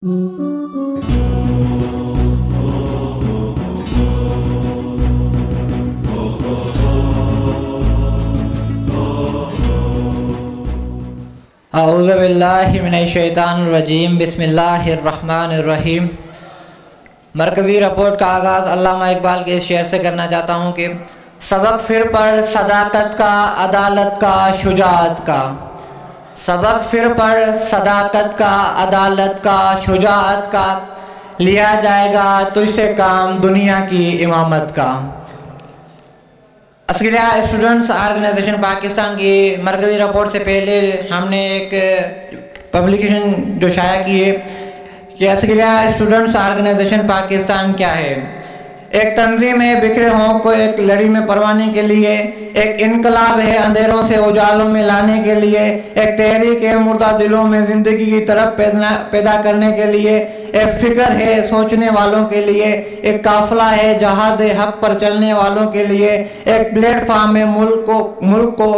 अऊज़ु बिल्लाहि मिनश्शैतानिर्रजीम। बिस्मिल्लाहिर्रहमानिर्रहीम। मरकज़ी रिपोर्ट का आगाज़ अल्लामा इकबाल के इस शेर से करना चाहता हूँ कि सबक फिर पढ़ सदाकत का, अदालत का, शुजाअत का। सबक फिर पढ़ सदाकत का, अदालत का, शुजाअत का, लिया जाएगा तुझसे काम दुनिया की इमामत का। अस्करिया स्टूडेंट्स ऑर्गेनाइजेशन पाकिस्तान की मरकज़ी रिपोर्ट से पहले हमने एक पब्लिकेशन जो शाया की है कि अस्करिया स्टूडेंट्स ऑर्गेनाइजेशन पाकिस्तान क्या है। एक तंजीम है बिखरे हों को एक लड़ी में परवाने के लिए, एक इनकलाब है अंधेरों से उजालों में लाने के लिए, एक तहरीक है मुर्दा दिलों में ज़िंदगी की तरफ पैदा करने के लिए, एक फ़िक्र है सोचने वालों के लिए, एक काफ़िला है जहाद हक पर चलने वालों के लिए, एक प्लेटफार्म है मुल्क को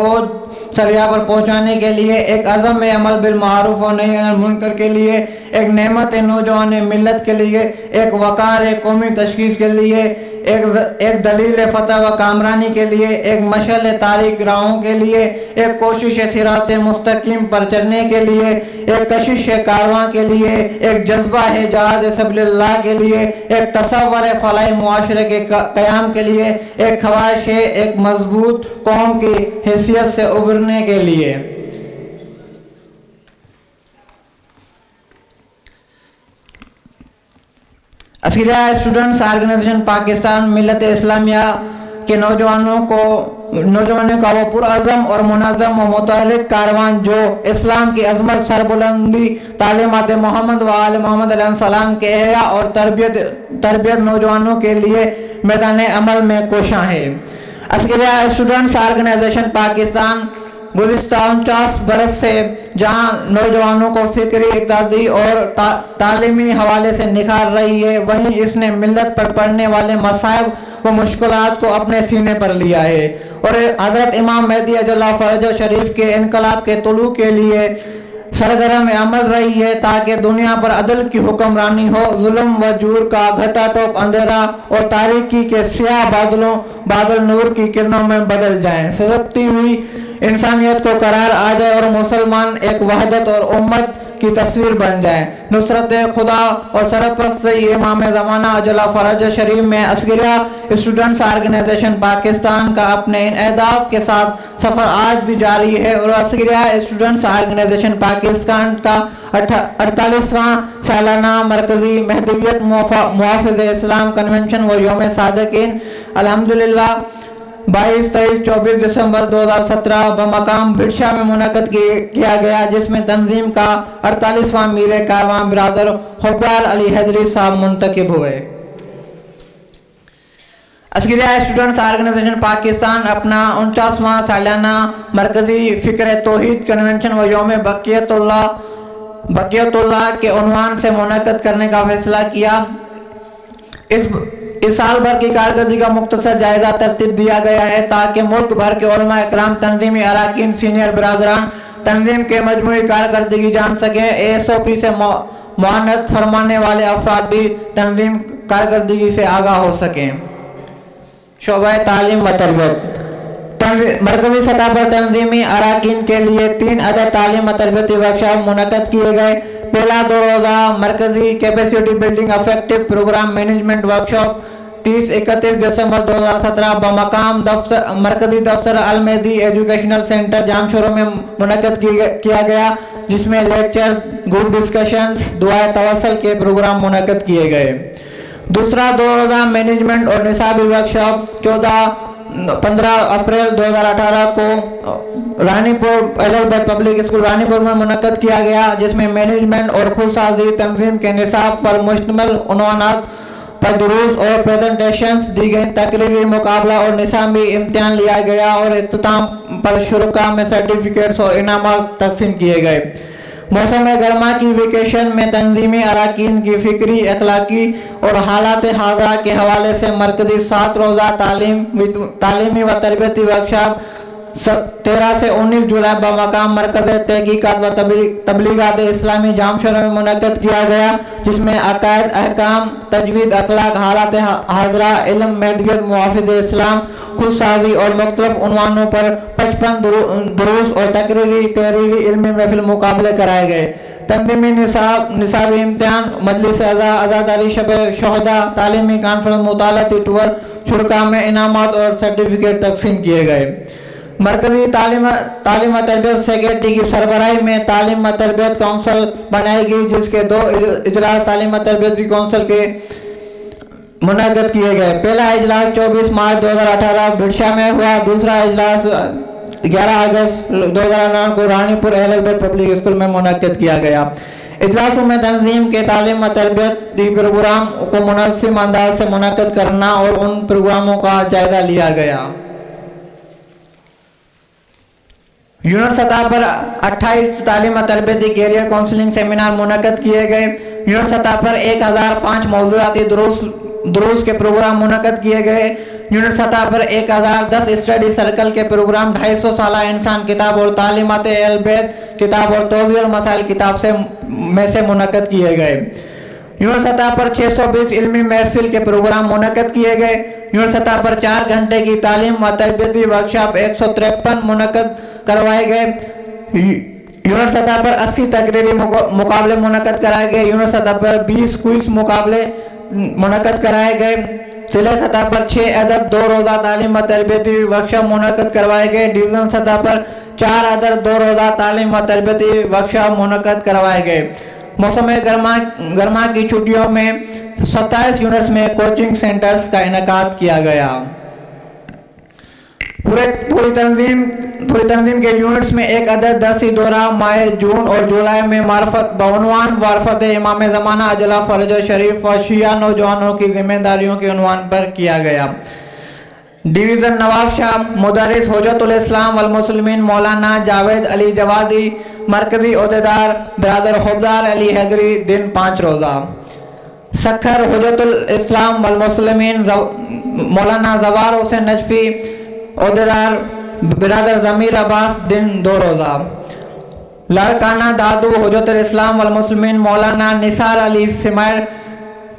सरिया पर पहुँचाने के लिए, एक अज़म है अमल बिल मारूफ और नही अनिल मुनकर के लिए, एक नेमत है नौजवान मिलत के लिए, एक वक़ार है कौमी तशख़ीस के लिए, एक दलील फ़तह व कामरानी के लिए, एक मशअल तारीख राहों के लिए, एक कोशिश सिरात मुस्तकीम पर चलने के लिए, एक कशिश कारवां के लिए, एक जज्बा है जहाद सबलिल्लाह के लिए, एक तसव्वुर है फलाही मुआशरे के क़याम के लिए, एक ख्वाहिश है एक मजबूत कौम की हैसियत से उभरने के लिए। अस्करिया स्टूडेंट्स ऑर्गेनाइजेशन पाकिस्तान मिलत इस्लामिया के नौजवानों का वो पुरअज़म और मुनज़्ज़म व मुतहर्रिक कारवान जो इस्लाम की अज़मत, सरबुलंदी, तालीमात मोहम्मद व आल मोहम्मद अलैहिस्सलाम के एहया और तरबियत नौजवानों के लिए मैदान अमल में कोशां है। अस्करिया स्टूडेंट्स ऑर्गेनाइजेशन पाकिस्तान गुज़िश्ता 49 बरस से जहां नौजवानों को फ़िक्री, इक़्तिसादी और तालीमी हवाले से निखार रही है, वहीं इसने मिलत पर पड़ने वाले मसाइब व मुश्किलात को अपने सीने पर लिया है और हज़रत इमाम मेहदी अज्जल फ़रज शरीफ के इनकलाब के तुलू के लिए सरगर्म अमल रही है ताकि दुनिया पर अदल की हुक्मरानी हो, जुल्म व जूर का घटा टोप अंधेरा और तारीकी के स्याह बादल नूर की किरणों में बदल जाएं, सजती हुई इंसानियत को करार आ जाए और मुसलमान एक वहदत और उम्मत की तस्वीर बन जाए। नुसरत खुदा और सरपरस्त इमाम ज़माना अज्जल फ़रज शरीफ में अस्करिया स्टूडेंट्स ऑर्गेनाइजेशन पाकिस्तान का अपने इन अहदाफ के साथ सफ़र आज भी जारी है और अस्करिया स्टूडेंट्स ऑर्गेनाइजेशन पाकिस्तान का 48वां सालाना मरकज़ी महदवियत मुहाफ़िज़ इस्लाम कन्वेंशन व योम सादिकीन अल्हम्दुलिल्लाह 22, 23, 24 दिसंबर 2017 बमकाम भिड़शा में मुनक़द किया गया, जिसमें तंजीम का 48वां मीर कारवां बिरादर हुब्बार अली हैदरी साहब मुंतखब हुए। अस्करिया स्टूडेंट्स ऑर्गेनाइजेशन पाकिस्तान अपना 49वां सालाना मरकज़ी फ़िक्र तौहीद कन्वेंशन व योम बकियतुल्लाह के उन्वान से मुनक़द करने का फैसला किया। इस साल भर की कारकर्दगी का मुख्तसर जायज़ा तरतीब दिया गया है ताकि मुल्क भर के उलमा इकराम, तंजीमी अराकीन, सीनियर बरादरान तंजीम के मजमूई कारकर्दगी जान सकें। ASOP से मुआनत फरमाने वाले अफराद भी तंजीम कारकर्दगी से आगाह हो सकें। शोबा तालीम व तरबियत। मरकज़ी सतह पर तंजीमी अराकीन के लिए 3 अदद तालीम व तरबियती वर्कशॉप मुनक़द किए गए। पहला 2 रोज़ा मरकज़ी capacity building effective programme management workshop 30-31 December 2017 बमकाम दफ्तर मरकज़ी दफ्तर अल-मेहदी एजुकेशनल सेंटर जामशोरो में मुनक़द किया गया, जिसमें लेक्चर्स, ग्रुप डिस्कशंस, दुआ तवस्सुल के प्रोग्राम मुनक़द किए गए। दूसरा 2 रोज़ा मैनेजमेंट और निसाबी वर्कशॉप 14-15 अप्रैल 2018 को रानीपुर एडलबर्ग पब्लिक स्कूल रानीपुर में मुनक़द किया गया, जिसमें मैनेजमेंट और खुदसाजी तंजीम के निसाब पर मुश्तमिल उन्वानात पर दुरूस और प्रेजेंटेशंस दी गई। तकरीरी मुकाबला और निसाबी इम्तिहान लिया गया और इख्तिताम पर शुरका में सर्टिफिकेट्स और इनामात तकसीम किए गए। मौसम गर्मा की वेकेशन में तंजीमी अराकीन की फ़िक्री, अखलाकी और हालात हाज़रा के हवाले से मरकज़ी 7 रोज़ा तालीमी व तरबियती वर्कशॉप 13 से 19 जुलाई बमकाम मरकज़ तहकीकात व तबलीगात इस्लामी जामशोरो में मुनक़्क़िद किया गया, जिसमें अकायद, अहकाम, तजवीज़, अखलाक, हालात हाजरा, इल्म, महदवियत, मुहाफ़िज़ इस्लाम, खुद साजी और मुख्तलिफ उन्वानों पर 55 दुरूस और तकरीरी तहरीरी इल्मी महफिल मुकाबले कराए गए। तंजीमी निसाबी इम्तिहान, मजलिस आज़ादारी शब शहदा, तालीमी कॉन्फ्रेंस, मुतालती टूर, शुरका में इनामात और सर्टिफिकेट तकसीम किए गए। मरकज़ी तालीम तरबियत सेक्रेटरी की सरबराही में तालीम तरबियत कौंसिल बनाई गई, जिसके 2 इजलास तालीम तरबियत कौंसिल के मुनक़्क़िद किए गए। पहला इजलास 24 मार्च 2018 बिरसा में हुआ। दूसरा इजलास 11 अगस्त 2009 को रानीपुर अहल बैत पब्लिक स्कूल में मुनक़्क़िद किया गया। इजलासों में तंजीम के तालीम तरबियत प्रोग्राम को मुनासिब अंदाज से मुनक़्क़िद करना और उन प्रोग्रामों का जायज़ा लिया गया। यूनिट सतह पर 28 तालीम तरबियती कैरियर काउंसलिंग सेमिनार मुनक़्क़िद किए गए। यूनिट सतह पर 1005 मौज़ूआती दुरूस के प्रोग्राम मुनक़्क़िद किए गए। यूनिट सतह पर 1010 स्टडी सर्कल के प्रोग्राम, 250 साल इंसान किताब और तालीमात अहल बैत किताब और तौज़ीह मसाइल किताब से में से मुनक़्क़िद किए गए। यूनिट सतह पर 620 इल्मी महफिल के प्रोग्राम मुनक़्क़िद किए गए। यूनिट सतह पर 4 घंटे की तालीम व तरबियती वर्कशॉप 153 मुनक़्क़िद करवाए गए। यूनिट सतह पर 80 तकरीरी मुकाबले मुनक़्क़िद कराए गए। यूनिट सतह पर 20 क्विज़ मुकाबले मुनक़्क़िद कराए गए। जिला सतह पर 6 अदद 2 रोज़ा तालीम व तरबियती वर्कशॉप मुनक़्क़िद करवाए गए। डिवीज़न सतह पर 4 अदद 2 रोज़ा तालीम व तरबियती वर्कशॉप मुनक़्क़िद करवाए गए। मौसम गर्मा की छुट्टियों में 27 यूनिट्स में कोचिंग सेंटर्स का इनेकाद किया गया। पूरी तंजीम के यूनिट्स में 1 अदद दरसी दौरा माह जून और जुलाई में मार्फत बउनवान वारफत इमाम ज़माना अजला फ़रज शरीफ व शिया नौजवानों की जिम्मेदारियों के उनवान पर किया गया। डिवीज़न नवाब शाह मुदर्रिस हुज्जतुल इस्लाम वल मुस्लिमीन मौलाना जावेद अली जवादी, मरकज़ी ओहदेदार बरादर हुबदार अली हैदरी, दिन 5 रोज़ा। सखर हुज्जतुल इस्लाम वल मुस्लिमीन मौलाना ज़वार हुसैन नजफ़ी, ओहदेदार बिरादर ज़मीर अब्बास, दिन 2 रोज़ा। लाड़काना दादू हुज्जतुल इस्लाम वल मुस्लिमीन मौलाना निसार अली सिमर,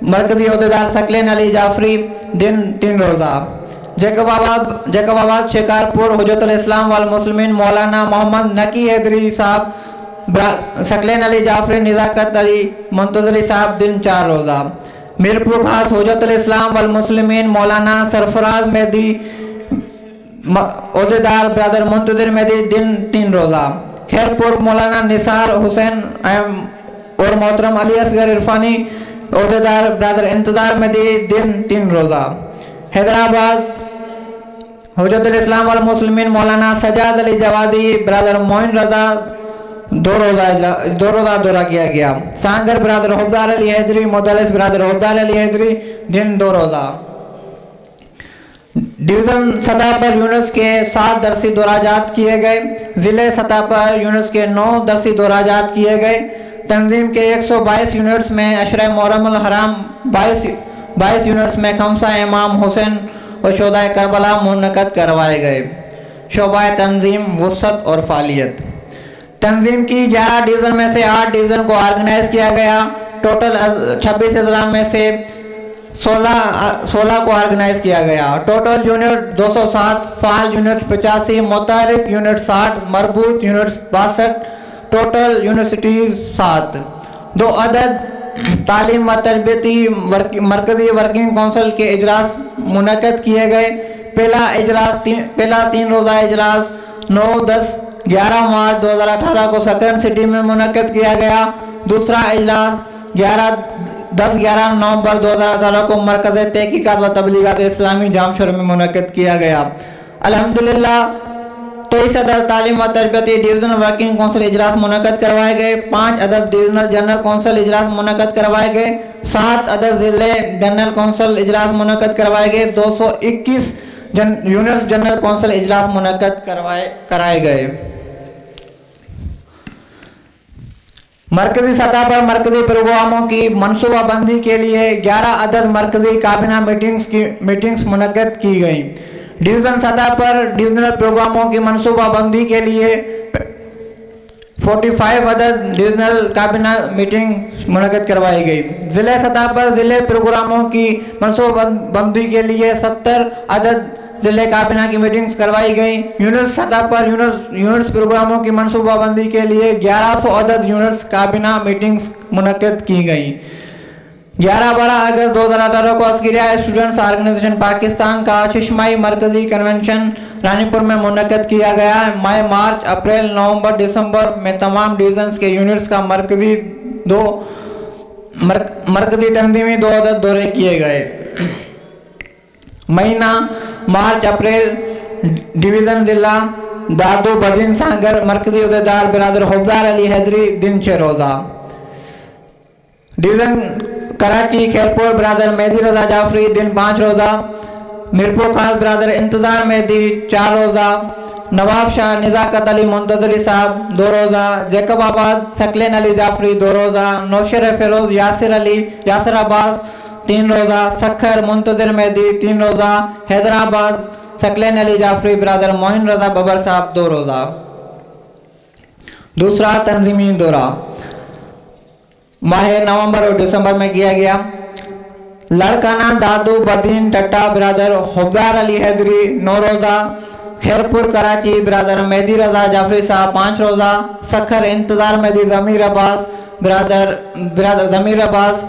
मरकज़ी ओहदेदार सकलेन अली जाफरी, दिन 3 रोज़ा। जैकबाबाद शिकारपुर हुज्जतुल इस्लाम वल मुस्लिमीन मौलाना मोहम्मद नकी हैदरी साहब, सकलेन अली जाफरी, निज़ाकत अली मुंतज़री साहब, दिन 4 रोज़ा। मीरपुर खास हुज्जतुल इस्लाम वल मुस्लिमीन मौलाना सरफराज मेहदी, ओहदेदार ब्रदर मुंतज़िर मेहदी, दिन 3 रोज़ा। खैरपुर मौलाना निसार हुसैन और मोहतरम अली असगर इरफानी, ओहदेदार ब्रदर इंतज़ार मेहदी, दिन 3 रोज़ा। हैदराबाद हुज्जतुल इस्लाम वल मुस्लिमीन मौलाना सजाद अली जवादी, ब्रदर मोइन रज़ा, 2 रोज़ा दौरा किया गया। सांगर ब्रदर हुबदार अली हैदरी, मुदल्लिस ब्रदर हुबदार अली हैदरी, दिन 2 रोज़ा। डिवीज़न सतह पर यूनिट्स के 7 दरसी दौराजात किए गए। ज़िले सतह पर यूनिट्स के 9 दरसी दौराजात किए गए। तंजीम के 122 यूनिट्स में अशर मुहर्रम हराम 22 यूनिट्स में खमसा इमाम हुसैन और शोदा करबला मुनक़्क़िद करवाए गए। शोबा तंजीम वसत और फ़ालियत। तंजीम की 11 डिवीज़न में से 8 डिवीज़न को ऑर्गेनाइज़ किया गया। टोटल 26 अजला में से 16 को ऑर्गेनाइज किया गया। टोटल यूनिट 207, फाल यूनिट 85, मुतहरिक यूनिट 60, मरबूत यूनिट 62, टोटल यूनिवर्सिटीज़ 7। 2 अदद तालीम व तरबियती मरकज़ी वर्किंग कौंसिल के इजलास मुनक़्क़िद किए गए। पहला 3 रोज़ा इजलास 9, 10, 11 मार्च 2018 को सकरन सिटी में मुनक़्क़िद किया गया। दूसरा इजलास 10, 11 नवंबर 2018 को मरकज़ तहकीकात व तबलीगात इस्लामी जामशोर में मुनक़्क़िद किया गया। अल्हम्दुलिल्लाह 23 अदद तालीम व तरबियती डिवीज़न वर्किंग कौंसिल इजलास मुनक़्क़िद करवाए गए। 5 अदद डिवीज़नल जनरल कौंसिल इजलास मुनक़्क़िद करवाए गए। 7 अदद ज़िले जनरल कौंसिल इजलास मुनक़्क़िद करवाए गए। 221 यूनिट्स जनरल कौंसिल इजलास मुनक़्क़िद कराए गए। मरकज़ी सतह पर मरकज़ी प्रोग्रामों की मनसूबाबंदी के लिए 11 अदद मरकज़ी काबीना मीटिंग्स मुनक़्क़िद की गई। डिवीज़न सतह पर डिविजनल प्रोग्रामों की मनसूबाबंदी के लिए 45 अदद डिविजनल काबीना मीटिंग मुनक़िद करवाई गई। ज़िले सतह पर ज़िले प्रोग्रामों की मनसूबाबंदी के लिए 70 अदद ज़िले काबीना की मीटिंग्स करवाई गई। यूनिट सतह पर यूनिट्स प्रोग्रामों की मनसूबाबंदी के लिए 1100 अदद यूनिट्स काबीना मीटिंग्स मुनक़िद की गई। 11-12 अगस्त 2018 को अस्करिया स्टूडेंट्स ऑर्गेनाइजेशन पाकिस्तान का छमाही मरकज़ी कन्वेंशन रानीपुर में मुनक़िद किया गया। मई, मार्च, अप्रैल, नवंबर, दिसंबर में तमाम डिवीज़न्स के यूनिट्स का मरकज़ी तंजीमी 2 अदद दौरे किए गए। महीना मार्च अप्रैल डिवीज़न ज़िला दादू बदीन सागर मरकज़ी अहदेदार बिरादर हुबदार अली हैदरी दिन 6 रोज़ा। डिवीज़न कराची खैरपुर बिरादर मेहदी रजा जाफरी दिन 5 रोज़ा। मीरपुर खास बिरादर इंतज़ार मेहदी 4 रोज़ा। नवाब शाह निज़ाकत अली मुंतजरी साहब 2 रोज़ा। जैकबाबाद सकलेन अली जाफरी 2 रोज़ा। नौशर फ़िरोज़ यासिर अली यासिर अब्बास 3 रोज़ा। सखर मुंतज़िर मेहदी 3 रोज़ा। हैदराबाद सकलेन अली जाफरी बिरादर मोइन रजा बबर साहब 2 रोज़ा। दूसरा तंजीमी दौरा माह नवंबर और दिसंबर में किया गया। लड़काना दादू बदीन टट्टा बिरादर हुबदार अली हैदरी 9 रोज़ा। खैरपुर कराची बिरादर मेहदी रजा जाफरी साहब 5 रोज़ा। सखर इंतज़ार मेहदी ज़मीर अब्बास बिरादर ज़मीर अब्बास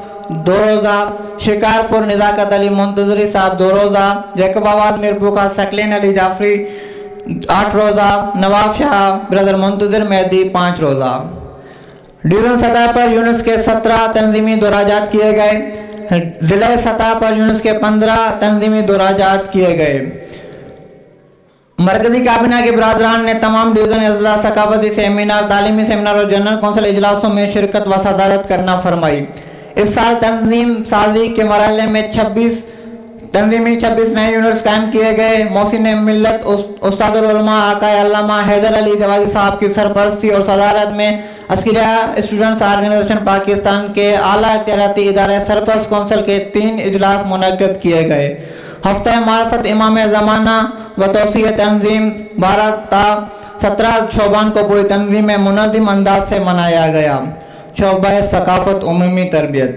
2 रोज़ा। शिकारपुर निज़ाकत अली मुंतजरी साहब 2 रोज़ा। जैकबाबाद मीरपुर का सकलेन अली जाफरी 8 रोज़ा। नवाब शाह ब्रदर मुंतज़िर मेहदी 5 रोज़ा। डिवीज़न सतह पर यूनिट्स के 17 तंजीमी दौराजात किए गए। ज़िले सतह पर यूनिट्स के 15 तंजीमी दौराजात किए गए। मरकज़ी काबीना के बरादरान ने तमाम डिवीज़न अजला सकाफती सेमिनार, तालीमी सेमिनार और जनरल कौंसिल इजलासों में शिरकत व सदारत करना फरमाई। इस साल तंजीम साजी के मरहले में 26 नए यूनिट्स कायम किए गए। मोहसिन मिल्लत उस्तादुल उलमा आका अल्लामा हैदर अली जवादी साहब की सरपरस्ती और सदारत में अस्करिया स्टूडेंट्स ऑर्गेनाइजेशन पाकिस्तान के आला अख्तियाराती इदारे सरपरस्त कौंसिल के 3 इजलास मुनक़िद किए गए। हफ्ता मार्फत इमाम ज़माना व तौसीअ तंजीम 12 ता 17 शोबान को पूरी तंजीम में मुनज़्ज़म अंदाज से मनाया गया। शोबा सकाफत उमूमी तरबियत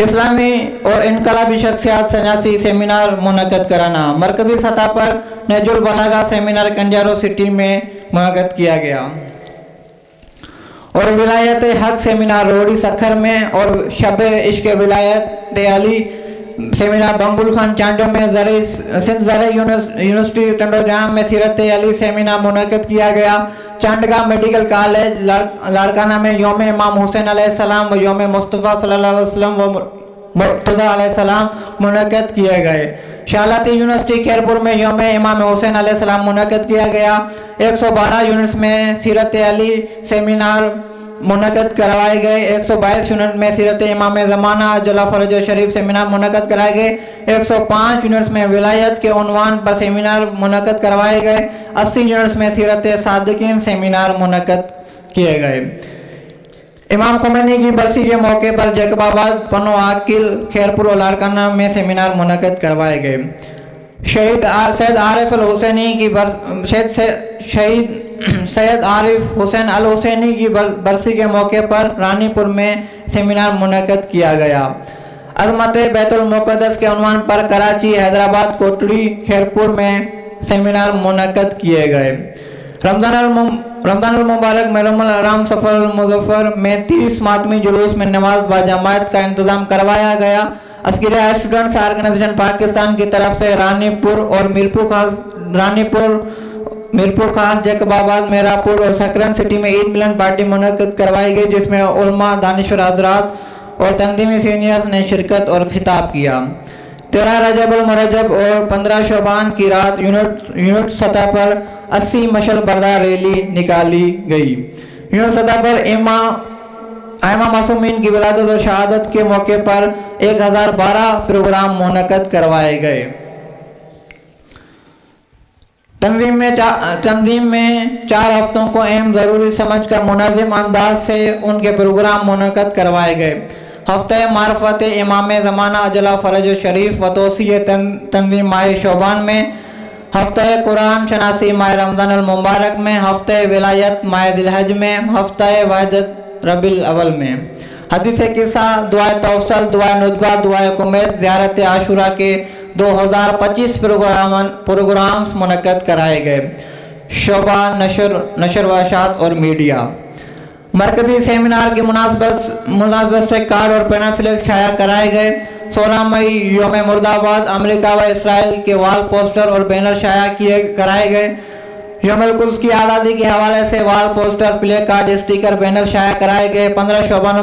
इस्लामी और इनकलाबी शख्सियात सन्यासी सेमिनार मुनक़िद कराना। मरकज़ी सतह पर नहजुल बलागा सेमिनार कंजारो सिटी में मुनक़िद किया गया और विलायत हक सेमिनार रोडी सखर में और शब इश्क विलायत अली सेमिनार बम्बुल खान चांडो में ज़रई सिंध ज़रई यूनिवर्सिटी टंडो जाम में सीरत अली सेमिनार मुनक़िद किया गया। चांडगा मेडिकल कॉलेज लाड़काना में योम इमाम हुसैन अलैहिस्सलाम व योम मुस्तफ़ा सल्लल्लाहु अलैहि वसल्लम व मुर्तज़ा अलैहिस्सलाम मुनक़िद किए गए। शालाती यूनिवर्सिटी खैरपुर में योम इमाम हुसैन अलैहिस्सलाम मुनक़िद किया गया। 112 यूनिट्स में सीरत अली सेमिनार मुनक़िद करवाए गए। 122 यूनिट में सीरत इमाम ज़माना अज्जला फ़रज शरीफ सेमिनार मुनक़िद कराए गए। 105 यूनिट्स में विलायत के उन्वान पर सेमिनार मुनक़िद करवाए गए। 80 यूनिट्स में सीरत सादिकीन सेमिनार मुनक़िद किए गए। इमाम खुमैनी की बरसी के मौके पर जैकबाबाद, पनो आकिल, खैरपुर और लाड़काना में सेमिनार मुनक़िद करवाए गए। शहीद सैयद आरिफ अल हुसैनी की शहीद सैयद आरिफ हुसैन अल हुसैनी की बरसी के मौके पर रानीपुर में सेमिनार मुनक़िद किया गया। अज़मत बैतुल मुक़द्दस के उन्वान पर कराची, हैदराबाद, कोटड़ी, खैरपुर में सेमिनार मुनक़िद किए गए। रमज़ानुल मुबारक महरमुल हराम सफ़र मुज़फ़्फ़र में 30 मातमी जुलूस में नमाज बाजमात का इंतज़ाम करवाया गया। अस्करिया स्टूडेंट्स ऑर्गेनाइजेशन पाकिस्तान की तरफ से रानीपुर और मीरपुर खास, जैकबाबाद, मेरापुर और सकरन सिटी में ईद मिलन पार्टी मुनक़िद करवाई गई, जिसमें उलमा, दानिश्वर हज़रात और तंजीमी सीनियर्स ने शिरकत और खिताब किया। 13 रजब अल मुरजब और 15 शोबान की रात यूनिट सतह पर 80 मशल बरदार रैली निकाली गई। यूनिट सतह पर आइमा मासूमीन की विलादत और शहादत के मौके पर 1012 प्रोग्राम मुनक़िद करवाए गए। तंजीम में 4 हफ्तों को अहम ज़रूरी समझकर मुनज़्ज़म अंदाज से उनके प्रोग्राम मुनक़िद करवाए गए। हफ्ते मार्फत इमाम ज़माना अजला फ़रज शरीफ व तौसीअ तंजीम माह शोबान में, हफ़्ते कुरान शनासी माह रमज़ान मुबारक में, हफ़्ते विलायत माह ज़िलहज में, हफ़्ते वहदत रबीउल अव्वल में। हदीस किस्सा, दुआ तवसल, दुआ नुदबा, दुआ कुमैत, ज़ियारत आशूरा के 2025 प्रोग्राम्स मुनक़्क़िद कराए गए। शोबा नशर व इशाअत और मीडिया। मरकज़ी सेमिनार की मुनासबत से कार्ड और पैनाफ्लेक्स शाया कराए गए। 16 मई योम मुर्दाबाद अमेरिका व इसराइल के वाल पोस्टर और बैनर शाया किए कराए गए। योम कुद्स की आज़ादी के हवाले से wall poster, play card, sticker, banner शाया कराए गए। 15 शबान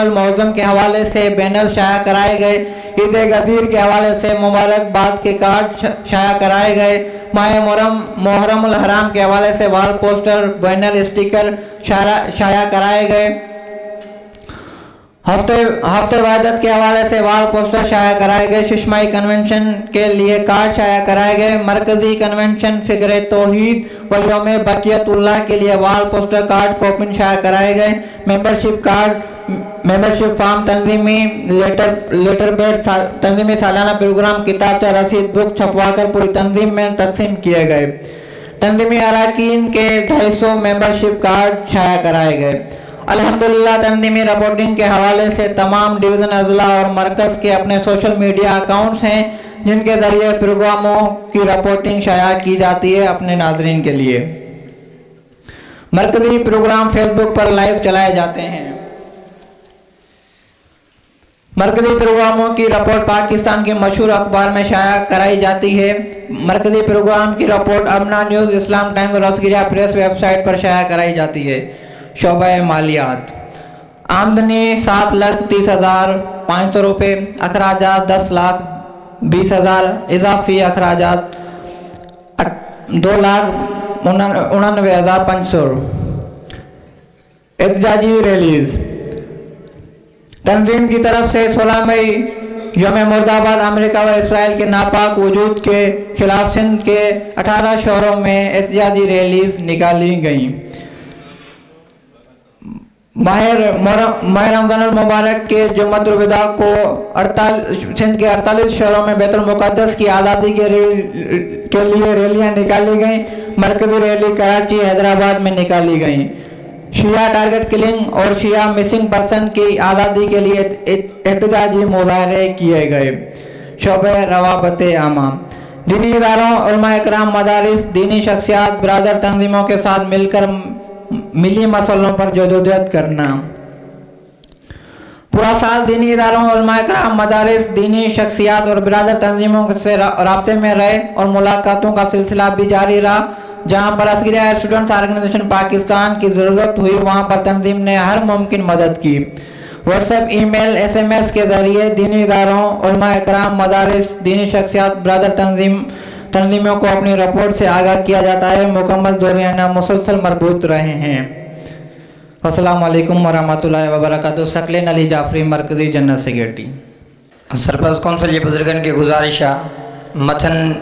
मुअज़्ज़म के हवाले से बैनर शाया कराए गए। ईद गदीर के हवाले से मुबारकबाद के कार्ड शाया कराए गए। माह मुहर्रम उल हराम के हवाले से वाल पोस्टर, बैनर, स्टिकर शाया कराए गए। हफ्ते वहदत के हवाले से वाल पोस्टर शाया कराए गए। शिशमाई कन्वेंशन के लिए कार्ड शाया कराए गए। मरकज़ी कन्वेंशन फ़िक्र तौहीद व यौम बकियतुल्लाह के लिए वाल पोस्टर, कार्ड, कूपन शाया कराए गए। मेंबरशिप कार्ड, मेंबरशिप फॉर्म, तंजीमी लेटर पैड, तंजीमी सालाना प्रोग्राम, किताबचा, रसीद बुक छपवाकर पूरी तंजीम में तकसीम किए गए। तंजीमी अराकीन के 250 मेंबरशिप कार्ड शाया कराए गए। अल्हम्दुलिल्लाह तंजीमी रिपोर्टिंग के हवाले से तमाम डिवीज़न, अजला और मरकज़ के अपने सोशल मीडिया अकाउंट्स हैं, जिनके ज़रिए प्रोग्रामों की रिपोर्टिंग शाया की जाती है अपने नाजरीन के लिए। मरकज़ी प्रोग्राम फेसबुक पर लाइव चलाए जाते हैं। मरकज़ी प्रोग्रामों की रिपोर्ट पाकिस्तान के मशहूर अखबार में शाया कराई जाती है। मरकज़ी प्रोग्राम की रिपोर्ट अमना न्यूज़, इस्लाम टाइम्स और अस्करिया प्रेस वेबसाइट पर शाया कराई जाती है। शोबा मालियात। आमदनी 7,30,500 रुपये, अखराजात 10,20,000, इजाफी अखराजात 2,89,500। एहतजाजी रैलीज। तंजीम की तरफ से 16 मई योम मुर्दाबाद अमेरिका व इसराइल के नापाक वजूद के खिलाफ सिंध के 18 शहरों में एहतजाजी रैलीज निकाली गईं। माह रमज़ान मुबारक के जुम्मतुल विदा को सिंध के 48 शहरों में बैतुल मुक़द्दस की आज़ादी के लिए रैलियां निकाली गईं। मरकज़ी रैली कराची, हैदराबाद में निकाली गईं। शिया टारगेट किलिंग और शिया मिसिंग पर्सन की आज़ादी के लिए एहतजाजी मुजाहरे किए गए। शोबे रवाबत आमा। दीनी इदारों, उलमा इकराम, मदारिस, दीनी शख्सियात, बरादर तंजीमों के साथ मिलकर मिली मसलों पर जदोजहद करना। पूरा साल दीनी इदारों, उलमा इकराम, मदारिस, दीनी शख्सियात और बरादर तंजीमों से राब्ते में रहे और मुलाकातों का सिलसिला भी जारी रहा। जहाँ पर अस्करिया स्टूडेंट्स ऑर्गेनाइजेशन पाकिस्तान की ज़रूरत हुई, वहाँ पर तंजीम ने हर मुमकिन मदद की। व्हाट्सएप, ईमेल, SMS के ज़रिए दीनी इदारों, उलमा इकराम, मदारिस, दीनी शख्सियात, बरादर तंजीमों को अपनी रिपोर्ट से आगाह किया जाता है। मुकम्मल दौरान मुसलसल मरबूत रहे हैं। अस्सलाम वालेकुम वरहमतुल्लाहि वबरकातुहू। सकलेन अली जाफरी, मरकज़ी जनरल सेक्रेटरी। सरपरस्त कौंसिल जे बुज़ुर्गनि खे गुज़ारिश आहे मथन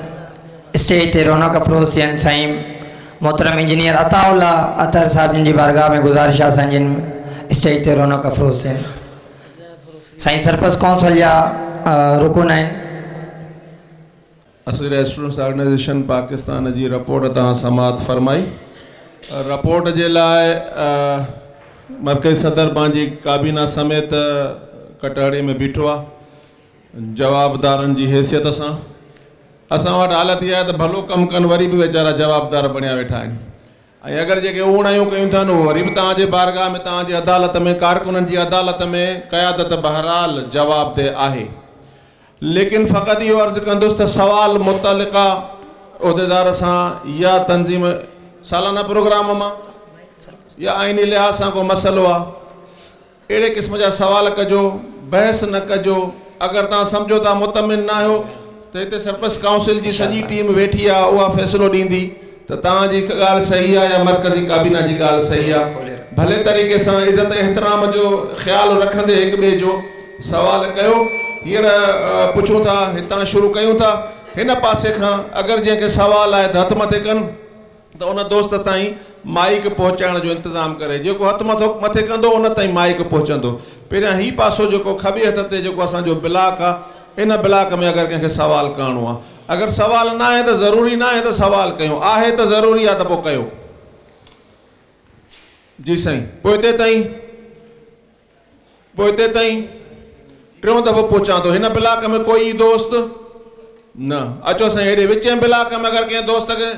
स्टेज ते रौनक अफ़रोज़ थियनि। साईं मोहतरम इंजीनियर अताउल्ला अतहर साहिब जिन जी बारगाह में गुज़ारिश आहे साईं जिन स्टेज ते रौनक अफ़रोज़ थियनि। साईं सरपरस्त कौंसिल जा रुकुन आहिनि। असगरिया स्टूडेंट्स ऑर्गेनाइजेशन पाकिस्तान जी रिपोर्ट तव्हां समाअत फरमाई। रिपोर्ट जे लाइ मरकज़ी सदर पंहिंजी काबीना समेत कटहरे में बीठो आहे जवाबदारनि जी हैसियत सां। असां वटि हालत इहा आहे त भलो कमु कनि वरी बि वीचारा जवाबदार बणिया वेठा आहिनि ऐं अगरि जेके ऊणायूं कयूं था उहे वरी बि तव्हांजे बारगाह में, तव्हांजी अदालत में, कारकुननि जी अदालत में क़यादत बहरहाल जवाबदेह आहे। लेकिन फ़क़ति इहो अर्ज़ु कंदुसि त सवाल मुतलिका उहिदेदार सां या तंज़ीम सालाना प्रोग्राम मां या आइनी लिहाज़ सां को मसइलो आहे, अहिड़े क़िस्म जा सवाल कजो, बहस न कजो। अगरि तव्हां सम्झो था मुतमिन न आहियो त हिते सरपरस्त काउंसिल जी सॼी टीम वेठी आहे, उहा फ़ैसिलो ॾींदी त तव्हांजी ॻाल्हि सही आहे या मरकज़ी काबीना जी ॻाल्हि सही आहे। भले तरीक़े सां इज़त एतिराम जो ख़्यालु रखंदे हिक ॿिए जो सवाल कयो। हींअर पुछूं था, हितां शुरू कयूं था, हिन पासे खां अगरि जंहिंखे सवाल आहे त हथु मथे कनि त उन दोस्त ताईं माइक पहुचाइण जो इंतज़ामु करे। जेको हथु मथे कंदो उन ताईं माइक पहुचंदो। पहिरियां ही पासो जेको खॿे हथ ते जेको असांजो ब्लाक आहे, इन ब्लाक में अगरि कंहिंखे सवाल करिणो आहे, अगरि सवाल न आहे त ज़रूरी न आहे त सवाल कयूं, आहे त ज़रूरी आहे त पोइ कयो। जी साईं, पोइते ताईं, पोइते ताईं टियों दफ़ो पुछां थो, हिन ब्लाक में कोई दोस्त न? अचो साईं हेॾे विचे ब्लाक में अगरि कंहिं दोस्त खे,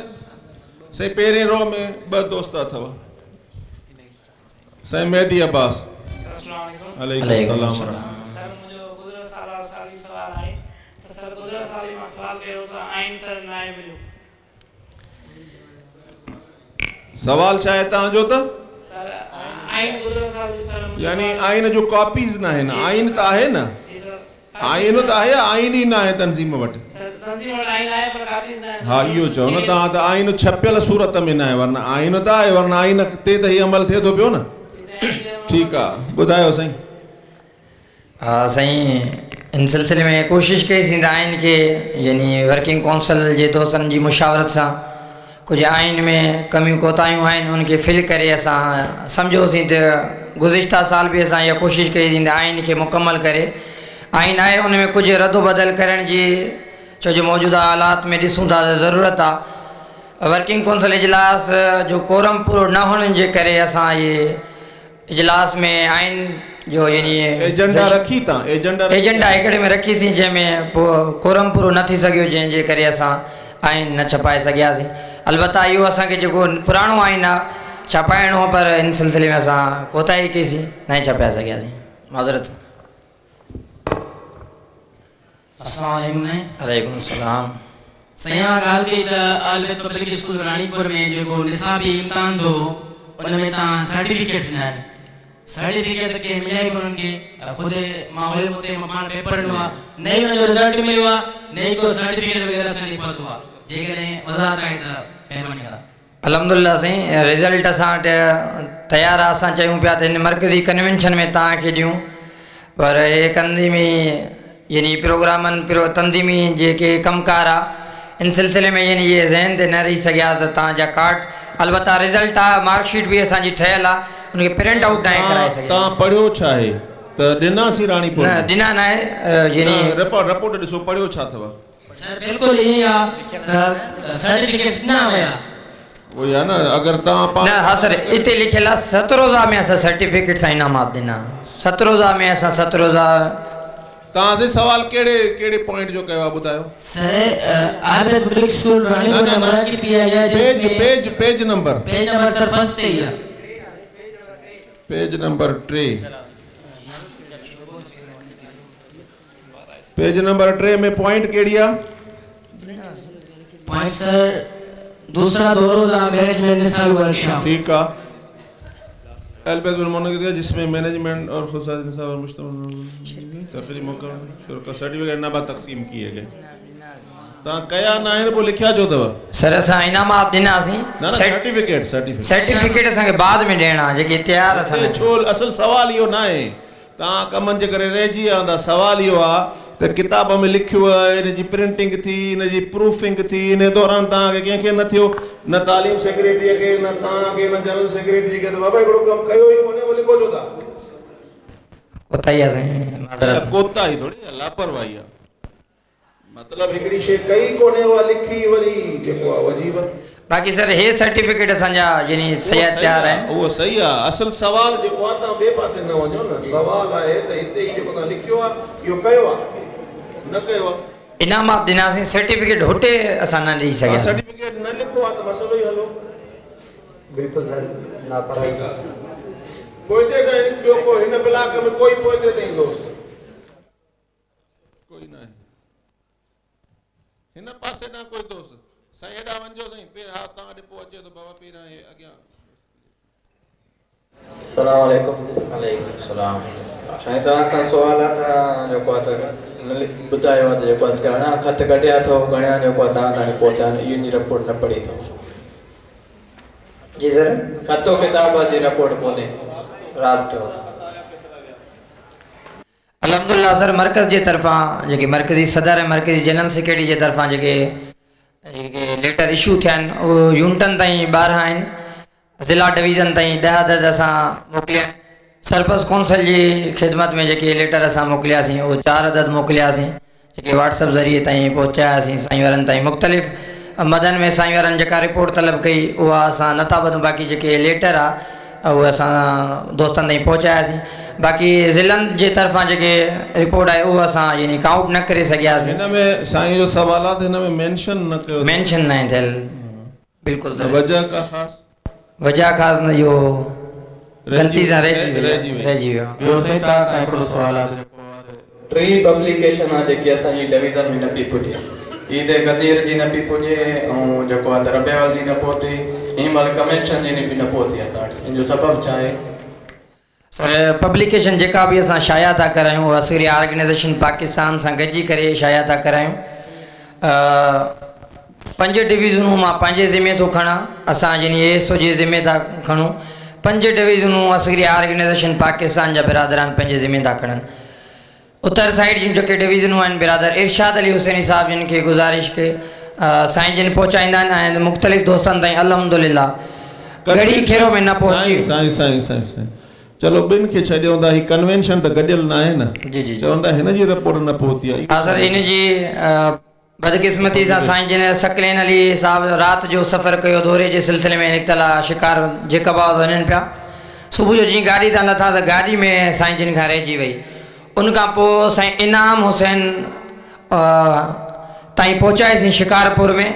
साईं पहिरीं रो में ॿ दोस्त अथव, साईं मेहदी अब्बास। वालेकुम सलाम। सर मुझो गुज़िरियल साल वारो साॻियो सवाल आहे त सर गुज़िरियल साल मां सवाल कयो त आइन सर न आहे मिलियो। सवाल छा आहे तव्हांजो त? सर आइन गुज़िरियल साल सर यानी आइन जो कॉपीज़ न आहिनि, आइन त आहे न, आइन त आहे, आइन ई न आहे तंज़ीम वटि। सर तंज़ीम वटि आइन आहे पर कॉपीज़ न आहे। हा इहो चओ न तव्हां त आइन छपियल सूरत में न आहे, वरना आइन त आहे, वरना आइन ते त हीउ अमल थिए थो पियो न। ठीकु आहे, ॿुधायो साईं। हा साईं, इन सिलसिले में कोशिशि कईसीं त आइन खे यानी वर्किंग काउंसिल जे दोस्तनि जी मुशावरत सां कुझु आइन में कमियूं कोताहियूं आहिनि उनखे फिल करे असां सम्झोसीं त गुज़िश्ता साल बि असां इहा कोशिशि कईसीं त आइन खे मुकमल करे आइन आहे उन में कुझु रदोबदल करण जी, छो जो मौजूदा हालात में ॾिसूं था त ज़रूरत आहे। वर्किंग काउंसिल इजलास जो कोरम पूरो न हुअण जे करे असां इहे इजलास में आइन जो यानी एजेंडा रखी था, एजेंडा एजेंडा हिकिड़े में रखीसीं जंहिंमें पोइ कोरम पूरो न थी सघियो, जंहिंजे करे असां आइन न छपाए सघियासीं। अलबत्ता इहो असांखे जेको पुराणो आइन आहे छपाइणो हो, पर इन सिलसिले में असां कोताही कईसीं, न छपाए सघियासीं, माज़रत। अस्सलाम वालेकुम। वालेकुम सलाम। साईं ॻाल्हि कई त आलबेद पब्लिक स्कूल रानीपुर में जेको निसाबी इम्तिहान थियो उन में तव्हां सर्टिफिकेट्स ॾिना आहिनि, सर्टिफिकेट कंहिं मिलिया ई कोन्हनि खे, ख़ुदि मां हुयुमि हुते मां पाण पेपर ॾिनो आहे, न ई हुनजो रिज़ल्ट मिलियो आहे, न ई को सर्टिफिकेट वग़ैरह असांखे पहुतो आहे। जेकॾहिं वज़ाहत आहे त महिरबानी कंदा। अल्हम्दुलिल्लाह साईं, रिज़ल्ट असां वटि तयारु आहे। असां चयूं पिया त हिन मर्कज़ी कन्वेंशन में तव्हांखे ॾियूं, पर हे तंज़ीमी यानी प्रोग्रामनि तंज़ीमी जेके कमकार आहे इन सिलसिले में यानी इहे ज़हन ते न रही सघिया त तव्हांजा कार्ड, अलबत्ता रिज़ल्ट आहे, मार्कशीट बि असांजी ठहियलु आहे, उनखे प्रिंट आउट न कराए सघिया। तव्हां पढ़ियो छा आहे त ॾिनासीं रानीपुर? न ॾिना न आहे, यानी रिपोर्ट रिपोर्ट ॾिसो पढ़ियो छा अथव। सर बिल्कुलु ईअं आहे त सर्टिफिकेट्स ॾिना विया, उहो आहे न, अगरि तव्हां न। हा सर, हिते लिखियलु आहे 7 रोज़ा में असां सर्टिफिकेट सां इनामात ॾिना, 7 रोज़ा में असां 7 रोज़ा। तव्हां से सवाल कहिड़े कहिड़े पॉइंट जो कयो आहे ॿुधायो। सर आलबेद पब्लिक स्कूल रानीपुर में मुनक़िद किया गया, page page page number, page number sir first ते ही आहे, पेज नंबर 3, पेज नंबर 3 में पॉइंट कहिड़ी आहे? पॉइंट सर दूसरा 2 रोज़ा मैनेजमेंट निसाबी वर्कशॉप। ठीक है, एलबेद बिन मुनक़िद जिसमें मैनेजमेंट और खुद निसाब और मुश्तमिल तकरीब मुकर्रर शुरका सर्टिफिकेट इनाम तक़सीम किए गए। तव्हां कया न आहिनि पोइ लिखिया छो अथव? सर असां इनामात ॾिनासीं, सर्टिफिकेट सर्टिफिकेट सर्टिफिकेट असांखे बाद में ॾियणा जेके तयारु असां। छो असल सवाल इहो न आहे, तव्हां कमनि जे करे रहिजी विया हूंदा। सवाल इहो आहे त किताब में लिखियो आहे, इन जी प्रिंटिंग थी, इन जी प्रूफिंग थी, इन दौरान तव्हांखे कंहिंखे न थियो, न तालीम सेक्रेटरीअ खे, न तव्हांखे, न जनरल सेक्रेटरी खे, त बाबा हिकिड़ो कमु कयो ई कोन्हे, उहो लिखो छो था? कोताही आहे साईं, माज़रत। कोताही थोरी आहे, लापरवाही आहे। मतिलबु हिकिड़ी शइ कई कोन्हे, उहा लिखी वरी जेको आहे अजीब आहे। बाक़ी सर हे सर्टिफिकेट असांजा यानी सही तयारु आहिनि, उहो सही आहे। असल सवाल जेको आहे, तव्हां ॿिए पासे न वञो न, सवाल आहे त हिते ई जेको तव्हां लिखियो आहे इहो कयो आहे न कयो आहे? इनामात ॾिनासीं, सर्टिफिकेट हुते असां न ॾेई सघियासीं। सर्टिफिकेट न लिखो आहे त मसइलो ई हलो। बिल्कुलु सर, लापरवाही। पोइते ताईं ॿियो को हिन ब्लाक में कोई पोइते ताईं दोस्त कोई न आहे, हिन पासे न कोई दोस्त। साईं हेॾां वञिजो साईं, पहिरियों हा तव्हां वटि पोइ अचे थो बाबा, पहिरियों हे अॻियां। अस्सलाम वालेकुम। वालेकुम सलाम। साईं तव्हां खां सुवाल आहे, तव्हां जेको आहे त ॿुधायो आहे त जेको आहे घणा ख़त कढिया अथव, घणा जेको आहे तव्हां ताईं पहुता आहिनि, इहो रिपोर्ट न पढ़ी अथव? जी सर, ख़तो किताब जी रिपोर्ट कोन्हे। राब्तो अल्हम्दुलिल्लाह सर, मर्कज़ जे तरफ़ां जेके मर्कज़ी सदर ऐं मर्कज़ी जनरल सेक्रेटरी जे तरफ़ां जेके जेके लेटर इशू थिया आहिनि, उहो यूनिटनि ताईं 12 आहिनि, ज़िला डिवीज़न ताईं 10 अदद असां मोकिलिया आहिनि। सरपंच काउंसिल जी ख़िदमत में जेके लेटर असां मोकिलियासीं उहो 4 अदद मोकिलियासीं, जेके व्हाट्सएप ज़रिए ताईं पहुचायासीं साईं वारनि ताईं। मुख़्तलिफ़ मदन में साईं वारनि जेका रिपोर्ट तलब कई उहा असां नथा ॿधूं, बाक़ी जेके लेटर आहे उहे असां दोस्तनि ताईं पहुचायासीं। बाक़ी ज़िलनि जे तरफ़ां जेके रिपोर्ट आहे उहो असां यानी काउंट न करे सघियासीं। हिन में साईं जो सवाल आहे त हिन में मेंशन न कयो, मेंशन न आहे थियल बिल्कुलु। वजह का ख़ासि वजह ख़ासि न, इहो ग़लती सां रहिजी वियो। ॿियो साईं तव्हां खां हिकिड़ो सुवाल आहे, टे पब्लिकेशन आहे जेकी असांजी डिवीज़न में न पई पुॼे, ईद गदीर जी न पई पुॼे ऐं जेको आहे त रबेवल जी न पहुती, हिन महिल कन्वेंशन जी बि न पहुती असां वटि, इन जो सबबु छा आहे? सर पब्लिकेशन जेका बि असां शाया था करायूं उहा असगरी ऑर्गेनाइज़ेशन पाकिस्तान सां गॾिजी करे शाया था करायूं। पंज डिवीज़नूं मां पंहिंजे ज़िमे थो खणां, असां यानी एस ओ जे ज़िमे था खणूं। पंज डिवीज़नूं असगरी ऑर्गेनाइज़ेशन पाकिस्तान जा बिरादरान पंहिंजे ज़िमे था खणनि। उत्तर साइड जूं जेके डिवीज़नूं आहिनि बिरादर इरशाद अली हुसैनी साहिब जिन खे गुज़ारिश खे साईं जिन पहुचाईंदा आहिनि ऐं मुख़्तलिफ़ दोस्तनि ताईं अल्हम्दुलिल्लाह गड़ी खेरो में न पहुची। साईं साईं साईं साईं चलो ॿिनि खे छॾियूं था, हीअ कन्वेंशन त गॾियल न आहे न। जी जी चवनि था हिन जी रिपोर्ट न पहुती आहे। हा सर, इन जी बदकिस्मती सां साईं जिन सकलैन अली साहिब राति जो सफ़र कयो, दौरे जे सिलसिले में निकितल आहे, शिकार जेकबाद वञनि पिया। सुबुह जो जीअं गाॾी तां लथा त गाॾी में साईं जिन खां रहिजी वई। उन खां पोइ साईं इनाम हुसैन ताईं पहुचाईसीं शिकारपुर में।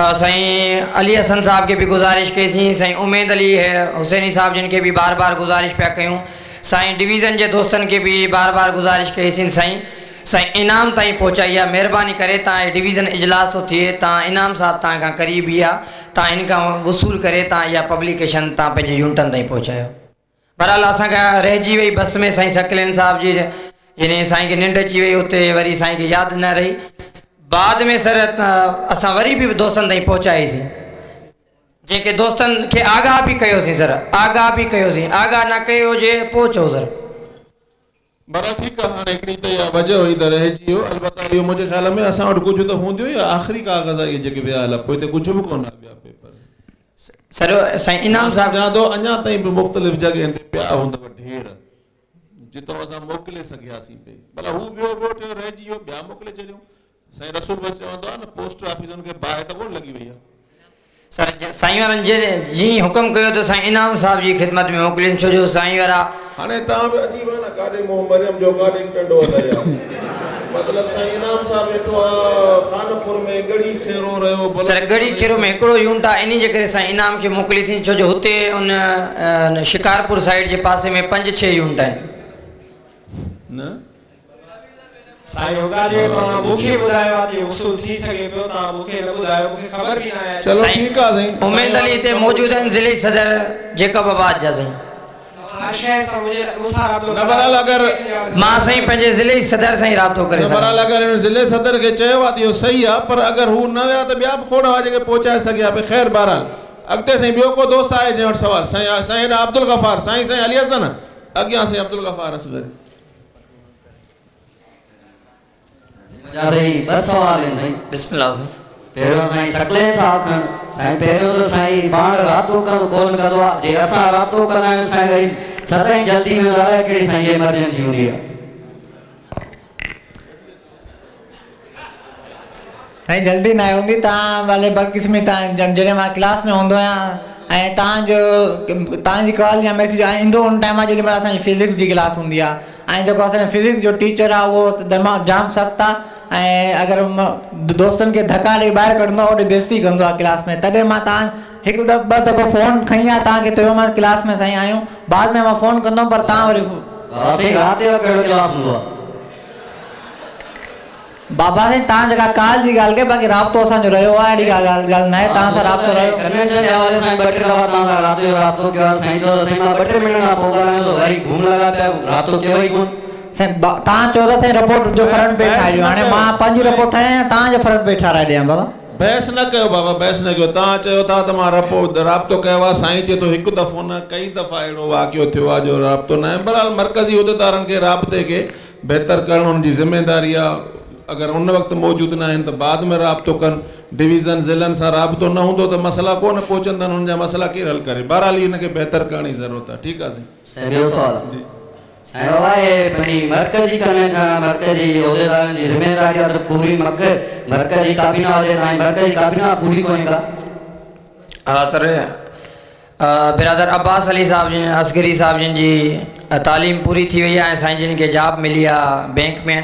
साईं अली हसन साहब खे बि गुज़ारिश कईसीं, साईं उमेद अली हुसैनी साहिब जिन खे बि बार बार गुज़ारिश पिया कयूं, साईं डिवीज़न जे दोस्तनि खे बि बार बार गुज़ारिश कईसीं। साईं साईं इनाम ताईं पहुचाई आहे, महिरबानी करे तव्हां डिवीज़न इजलास थो थिए, तव्हां इनाम साहिब तव्हां खां क़रीब ई आहे, तव्हां इन खां वसूल करे तव्हां इहा पब्लिकेशन तव्हां पंहिंजे यूनिटनि ताईं पहुचायो। बहरहाल असांखां रहिजी वई बस में साईं सकलैन साहिब जी यानी साईं खे निंड अची वई, उते वरी साईं खे यादि न रही। बाद में सर असां वरी बि दोस्तनि ताईं पहुचाईसीं, जंहिंखे दोस्तनि खे आगाह बि कयोसीं सर, आगाह बि कयोसीं, आगाह न कयो हुजे पोइ चओ सर। बराबरि ठीकु आहे। हाणे हिकिड़ी त इहा वजह हुई त रहिजी वियो, अलबत्ता इहो मुंहिंजे ख़्याल में असां वटि कुझु त हूंदियो या आख़िरी काग़ज़ आहे इहे जेके विया हला, पोइ त कुझु बि कोन आहे ॿिया पेपर। सर साईं इनाम साहिब सम्झां थो अञा ताईं बि मुख़्तलिफ़ जॻहियुनि ते पिया हूंदव ढेर, जितां असां मोकिले सघियासीं पई, भला हू वियो ॿियो टियों रहिजी वियो, ॿिया मोकिले छॾियूं। साईं रसूल बख़्श चवंदो आहे न पोस्ट ऑफिस हुनखे बाहि त कोन लॻी वई आहे। सर साईं वारनि जीअं हुकुम कयो त साईं इनाम साहिब जी ख़िदमत में मोकिलिनि, छो जो साईं वारा हाणे तव्हां बि अजीब आहे न, काॾे मुंहुं मरियम जो काॾे टंडो हलाए आहे। मतिलबु साईं इनाम साहिब वेठो आहे खानपुर में, गड़ी खेरो रहियो। सर गड़ी खेरो में हिकिड़ो यूनिट आहे, इन जे करे साईं इनाम खे मोकिलीसीं, छो जो हुते उन शिकारपुर साइड जे पासे में 5-6 यूनिट आहिनि। न साईं हुदा जे तव्हां मूंखे ॿुधायो आहे त वसूल थी सघे पियो, तव्हां मूंखे न ॿुधायो, मूंखे ख़बर बि न आहे। चलो ठीकु आहे साईं। उमेद अली हिते मौजूदु आहिनि ज़िले सदर जेकब आबाद जा साईं। हर शइ सां मुंहिंजे मूंसां राब्तो न बहरहाल अगरि मां साईं पंहिंजे ज़िले सदर सां ई राब्तो करे सघां। बहरहाल अगरि हिन ज़िले सदर खे चयो आहे त इहो सही आहे, पर अगरि हू न विया त ॿिया बि खोड़ हुआ जेके पहुचाए सघिया पई। ख़ैर बहरहाल अॻिते साईं ॿियो को दोस्त आहे जंहिं वटि सवाल? साईं साईं अब्दुल गफ़ार, साईं साईं अली हसन अॻियां साईं अब्दुल गफ़ार असगर। साईं ॿ सवाल आहिनि साईं। बिस्मिल्लाह साईं। पहिरियों साईं सकलैन साहिब खां, साईं पहिरियों त साईं पाण राब्तो कोन कंदो आहे, जे असां राब्तो कंदा आहियूं साईं वरी सदाईं जल्दी में अलाए कहिड़ी साईं इमरजेंसी हूंदी आहे। साईं जल्दी न हूंदी, तव्हां भले बदकिस्मी तव्हां जॾहिं मां क्लास में हूंदो आहियां ऐं तव्हांजो तव्हांजी कॉल या मैसेज ईंदो उन टाइम आहे जेॾी महिल असांजी फिज़िक्स जी क्लास हूंदी आहे ऐं जेको असांजो फिज़िक्स जो टीचर आहे उहो दिमाग़ जाम सख़्तु आहे ऐं अगरि दोस्तनि खे धक्का ॾेई ॿाहिरि कढंदो आहे ओॾे बेइज़ती कंदो आहे क्लास में। तॾहिं मां तव्हां हिकु ॿ दफ़ो फ़ोन खणी आहे तव्हांखे चयोमांसि क्लास में साईं आहियूं, बाद में मां फ़ोन कंदुमि पर तव्हां वरी साईं राति जो कहिड़ो क्लास हूंदो आहे? बाबा साईं तव्हां जेका कॉल जी ॻाल्हि कई, बाक़ी राब्तो असांजो रहियो आहे, अहिड़ी का ॻाल्हि ॻाल्हि न आहे, तव्हां सां राब्तो रहियो। कन्वेंशन जे हवाले सां ॿ टे दफ़ा तव्हां सां राति जो राब्तो कयो आहे साईं, चयो त साईं मां ॿ टे मिंट खां पोइ ॻाल्हायां थो, वरी घुम लॻा पिया, राब्तो कयो ई कोन। साईं तव्हां चयो था साईं रिपोर्ट जो फ्रंट पेज ठाहे ॾियो, हाणे मां पंहिंजी रिपोर्ट ठाहियां तव्हांजो फ्रंट पेज ठाराए ॾियां बाबा। बहस न कयो बाबा, बहस न कयो। तव्हां चयो था त मां राब्तो कयो आहे, साईं चए थो हिकु दफ़ो न कई दफ़ा अहिड़ो वाक़ियो थियो आहे जो राब्तो न आहे। बहरहाल मर्कज़ी उहिदेदारनि खे राब्ते खे बहितर करणु हुनजी ज़िम्मेदारी आहे। अगरि उन वक़्तु मौजूदु न आहिनि त बाद में राब्तो कनि। डिवीज़न ज़िलनि सां राब्तो न हूंदो त मसइला कोन पहुचंदा आहिनि, हुनजा मसइला केरु हल करे। बहरहाल हिनखे बहितर करण जी ज़रूरत आहे। ठीकु आहे साईं। ॿियो सुवाल जी साईं बाबा हे पंहिंजी मर्कज़ी कन्वेंशन आहे, मर्कज़ी उहिदेदारनि जी ज़िम्मेदारी आहे त पूरी मर्कज़ी काबीना हुजे, तव्हांजी मर्कज़ी काबीना पूरी कोन्हे का? हा सर, बिरादर अब्बास अली साहब जिन, असगरी साहब जिन जी तालीम पूरी थी वई आहे, साईं जिन खे जॉब मिली आहे बैंक में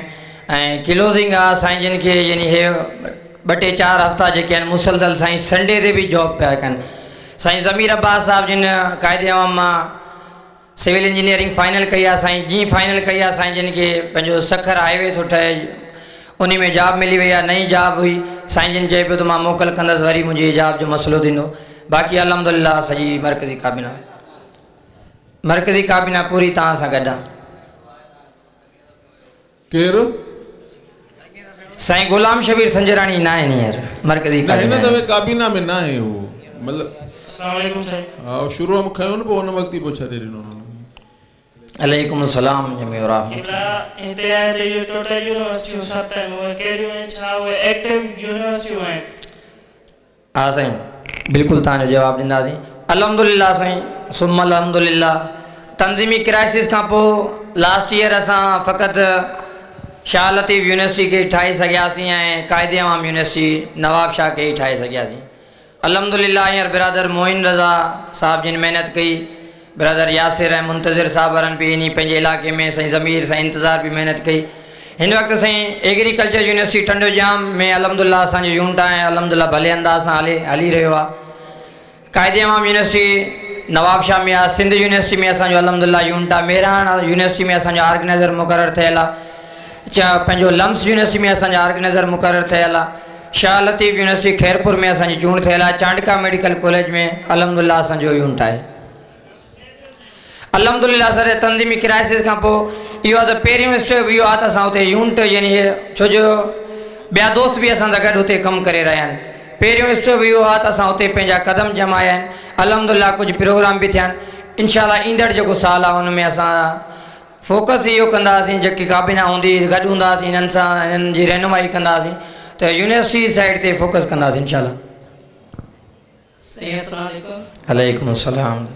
ऐं क्लोज़िंग आहे साईं जिन खे, यानी हे 2 टे 4 हफ़्ता जेके आहिनि मुसलसल साईं संडे ते बि जॉब पिया कनि। साईं ज़मीर अब्बास साहब जिन क़ाइदे अवाम मां सिविल इंजीनियरिंग फाइनल कई आहे, साईं जीअं फाइनल कई आहे साईं जिन खे पंहिंजो सखर हाईवे थो ठहे उन में जॉब मिली वई आहे, नई जॉब हुई। साईं जिन चए पियो त मां मोकल कंदसि, वरी मुंहिंजी जॉब जो मसइलो थींदो। बाक़ी अल्हम्दुलिल्लाह सॼी मर्कज़ी काबीना पूरी तव्हां सां गॾु आहे। केरु? साईं ग़ुलाम शबीर संजराणी न आहिनि हींअर मर्कज़ी काबीना, हिन दफ़े काबीना में न आहे उहो, मतिलबु अस्सलाम वालेकुम साईं। हा शुरू में खयो न, पोइ हुन वक़्तु ई पोइ छॾे ॾिनो। अलैकुम सलाम जमी रहमतुल्लाह। हिते आहे त इहो टोटल यूनिवर्सिटियूं 7 आहिनि, उहे कहिड़ियूं आहिनि, छा उहे एक्टिव यूनिवर्सिटियूं आहिनि? हा साईं बिल्कुलु तव्हांजो जवाबु ॾींदासीं। अल्हम्दुलिल्लाह साईं, सुम अल्हम्दुलिल्लाह तंज़ीमी क्राइसिस खां पोइ लास्ट ईयर असां फ़क़ति शाह लतीफ़ यूनिवर्सिटी खे ठाहे सघियासीं ऐं क़ाइदे अवाम यूनिवर्सिटी नवाब शाह खे ई ठाहे सघियासीं। अल्हम्दुलिल्लाह हींअर बिरादर मोइन रज़ा साहब जिन महिनत कई, बिरादर यासिर ऐं मुंतज़िर साहब वारनि बि इन पंहिंजे इलाइक़े में, साईं ज़मीर साईं इंतज़ार बि महिनत कई। हिन वक़्तु साईं एग्रीकल्चर यूनिवर्सिटी टंडो ॼाम में अल्हम्दुलिल्लाह असांजो यूनिट आहे, अल्हम्दुलिल्लाह भले अंदाज़ सां हली रहियो आहे। क़ाइदे अवाम यूनिवर्सिटी नवाब शाह में आहे, सिंध यूनिवर्सिटी में असांजो अल्हम्दुलिल्लाह यूनिट आहे, मेहरान यूनिवर्सिटी में असांजो ऑर्गेनाइज़र मुक़ररु थियल आहे, पंहिंजो लम्स यूनिवर्सिटी में असांजो ऑर्गेनाइज़र मुक़ररु थियल आहे, शाह लतीफ़ यूनिवर्सिटी ख़ैरपुर में असांजी चूंड थियल आहे, चांडका मेडिकल कॉलेज में अल्हम्दुलिल्लाह असांजो यूनिट आहे। अल्हम्दुलिल्लाह सर तंज़ीमी क्राइसिस खां पोइ इहो आहे त पहिरियों स्टेप इहो आहे त असां उते यूनिट यानी छो जो ॿिया दोस्त बि असां सां गॾु उते कमु करे रहिया आहिनि। पहिरियों स्टेप इहो आहे त असां उते पंहिंजा कदम जमाया आहिनि, अल्हम्दुलिल्लाह कुझु प्रोग्राम बि थिया आहिनि। इनशा ईंदड़ जेको साल आहे उन में असां फोकस इहो कंदासीं, जेकी काबीना हूंदी गॾु हूंदासीं, हिननि सां हिननि जी रहनुमाई कंदासीं त यूनिवर्सिटी साइड ते फोकस कंदासीं इंशाअल्लाह। अलैकुम अस्सलाम।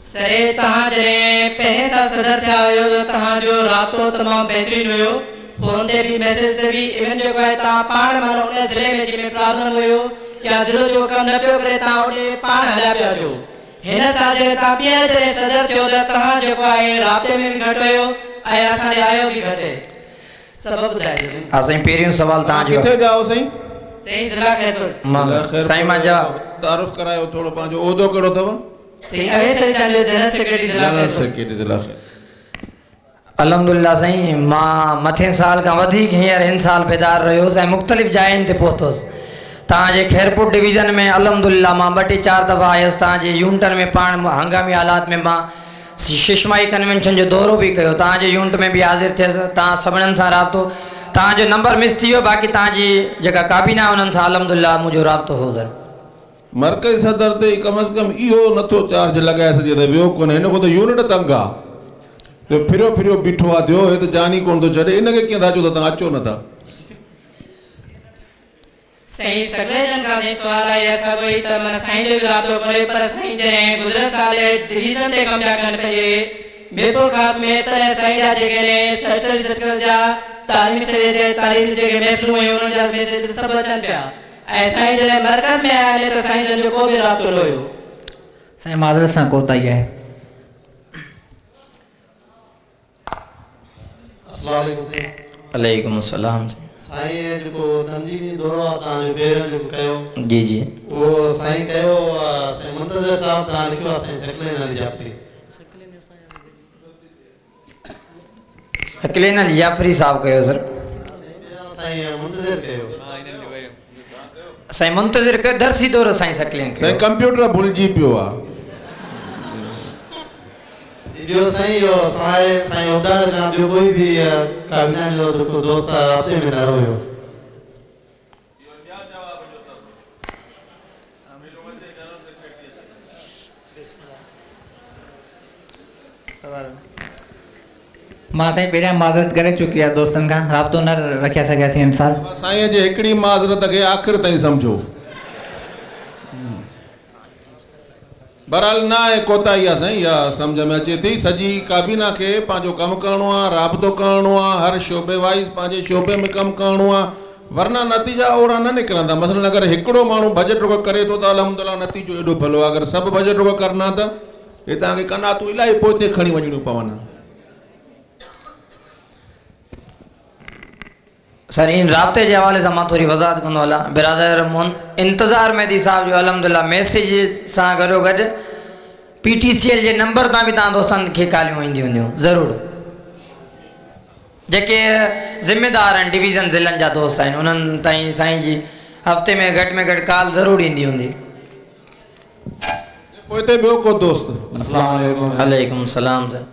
सर तव्हां जॾहिं पहिरें साल सदर थिया हुयो त तव्हांजो राब्तो तमामु बहितरीन हुयो, फ़ोन ते बि मैसेज ते बि, इवन जेको आहे तव्हां पाण माना उन ज़िले में जंहिंमें प्रॉब्लम हुयो या ज़िलो जेको कमु न पियो करे तव्हां ओॾे पाण हलिया पिया अचो। हिन साल जॾहिं तव्हां ॿीहर जॾहिं सदर थियो त तव्हां जेको आहे राब्ते में बि घटि हुयो ऐं असां ॾे आयो बि घटि, सबबु ॿुधाइजो। हा साईं पहिरियों सवाल तव्हांजो। किथे जाओ साईं? साईं ज़िला ख़ैरपुर। साईं मां जवाब तारुफ़ करायो थोरो, पंहिंजो उहिदो कहिड़ो अथव? साईं अवेस अली चांडियो, जनरल सेक्रेटरी ज़िला जनरल सेक्रेटरी ज़िला ख़ैरपुर। अल्हम्दुलिल्लाह साईं मां मथे साल खां वधीक हींअर हिन साल बेदार रहियोसि ऐं मुख़्तलिफ़ जायुनि ते पहुतोसि। तव्हांजे ख़ैरपुर डिवीज़न में अल्हम्दुलिल्लाह मां 2 टे 4 दफ़ा आयुसि। तव्हांजे यूनिटनि में पाण हंगामी हालात में मां शिशमाई कन्वेंशन जो दौरो बि कयो, तव्हांजे यूनिट में बि हाज़िर थियसि, तव्हां सभिनीनि सां राब्तो, तव्हांजो नंबर मिस थी वियो, बाक़ी तव्हांजी जेका काबीना उन्हनि सां अल्हम्दुलिल्लाह मुंहिंजो राब्तो हो। सर मर्कज़ी सदर ते कम अज़ कम इहो नथो चार्ज लॻाए सघे त वियो कोन्हे, हिन खां त यूनिट तंग आहे, त फिरियो फिरियो बीठो आहे थियो, हे त जान ई कोन थो छॾे, हिनखे कीअं था चओ त तव्हां अचो नथा? साईं सगले जन खां सवाल आहे असां कोई त माना साईं जो बि राब्तो कोन्हे, पर साईं जॾहिं गुज़िरियल साल डिवीज़न ते कमु पिया कनि पंहिंजे मीरपुर ख़ास में, तॾहिं साईं जा जेके आहिनि सर्कल सर्कल जा तालीम सेवे ते तालीम जेके महफ़िलूं हुयूं उन्हनि जा मैसेज सभु अचनि पिया, ऐं साईं जॾहिं मरकज़ में आया आहिनि त साईं जन जो को बि राब्तो न हुयो। साईं माज़रत सां कोताही आहे। अस्सलाम वालेकुम। अलैकुम अस्सलाम। साईं जेको तंज़ीमी दौरो आहे तव्हांजो पहिरियों जेको कयो, जी जी, उहो साईं कयो, साईं मुंतज़िर साहब तव्हां लिखियो आहे साईं सकलैन अली जाफ़री, सकलैन अली जाफ़री साहब कयो सर। साईं मुंतज़िर कयो, साईं मुंतज़िर कयो दरसी दौरो साईं सकलैन कयो। साईं कंप्यूटर भुलिजी पियो आहे। ॿियो साईं इहो साईं साईं उबदार खां ॿियो कोई बि काबीना जो जेको दोस्त आहे राब्ते में न रहियो। मां साईं पहिरियां माज़रत करे चुकी आहे दोस्तनि खां, राब्तो न रखिया सघियासीं हिन साल। साईं जे हिकिड़ी माज़रत खे आख़िर ताईं सम्झो, बहरहाल न आहे कोताही आहे साईं, इहा सम्झ में अचे थी। सॼी काबीना खे पंहिंजो कमु करिणो आहे, राबितो करिणो आहे, हर शोबे वाइज़ पंहिंजे शोबे में कमु करिणो आहे, वरना नतीजा ओहिड़ा न निकिरंदा। मसलन अगरि हिकिड़ो माण्हू भॼ ड्रुक करे थो त अल्हम्दुलिल्लाह नतीजो एॾो भलो आहे, अगरि सभु भॼ ड्रुक करना त हे तव्हांखे कनातूं इलाही पोइते खणी वञिणियूं पवनि। सर इन राब्ते जे हवाले सां मां थोरी वज़ाहत कंदो हलां। बिरादर इंतज़ार मेहदी साहिब जो अल्हम्दुलिल्लाह मैसेज सां गॾो गॾु PTCL जे नंबर तां बि तव्हां दोस्तनि खे कॉलियूं ईंदियूं हूंदियूं ज़रूरु। जेके ज़िम्मेदार आहिनि डिवीज़न ज़िलनि जा दोस्त आहिनि उन्हनि ताईं साईं जी हफ़्ते में घटि में घटि कॉल ज़रूरु ईंदी हूंदी। पोइ ॿियो को दोस्त। अस्सलाम वालेकुम। वालेकुम सलाम सर।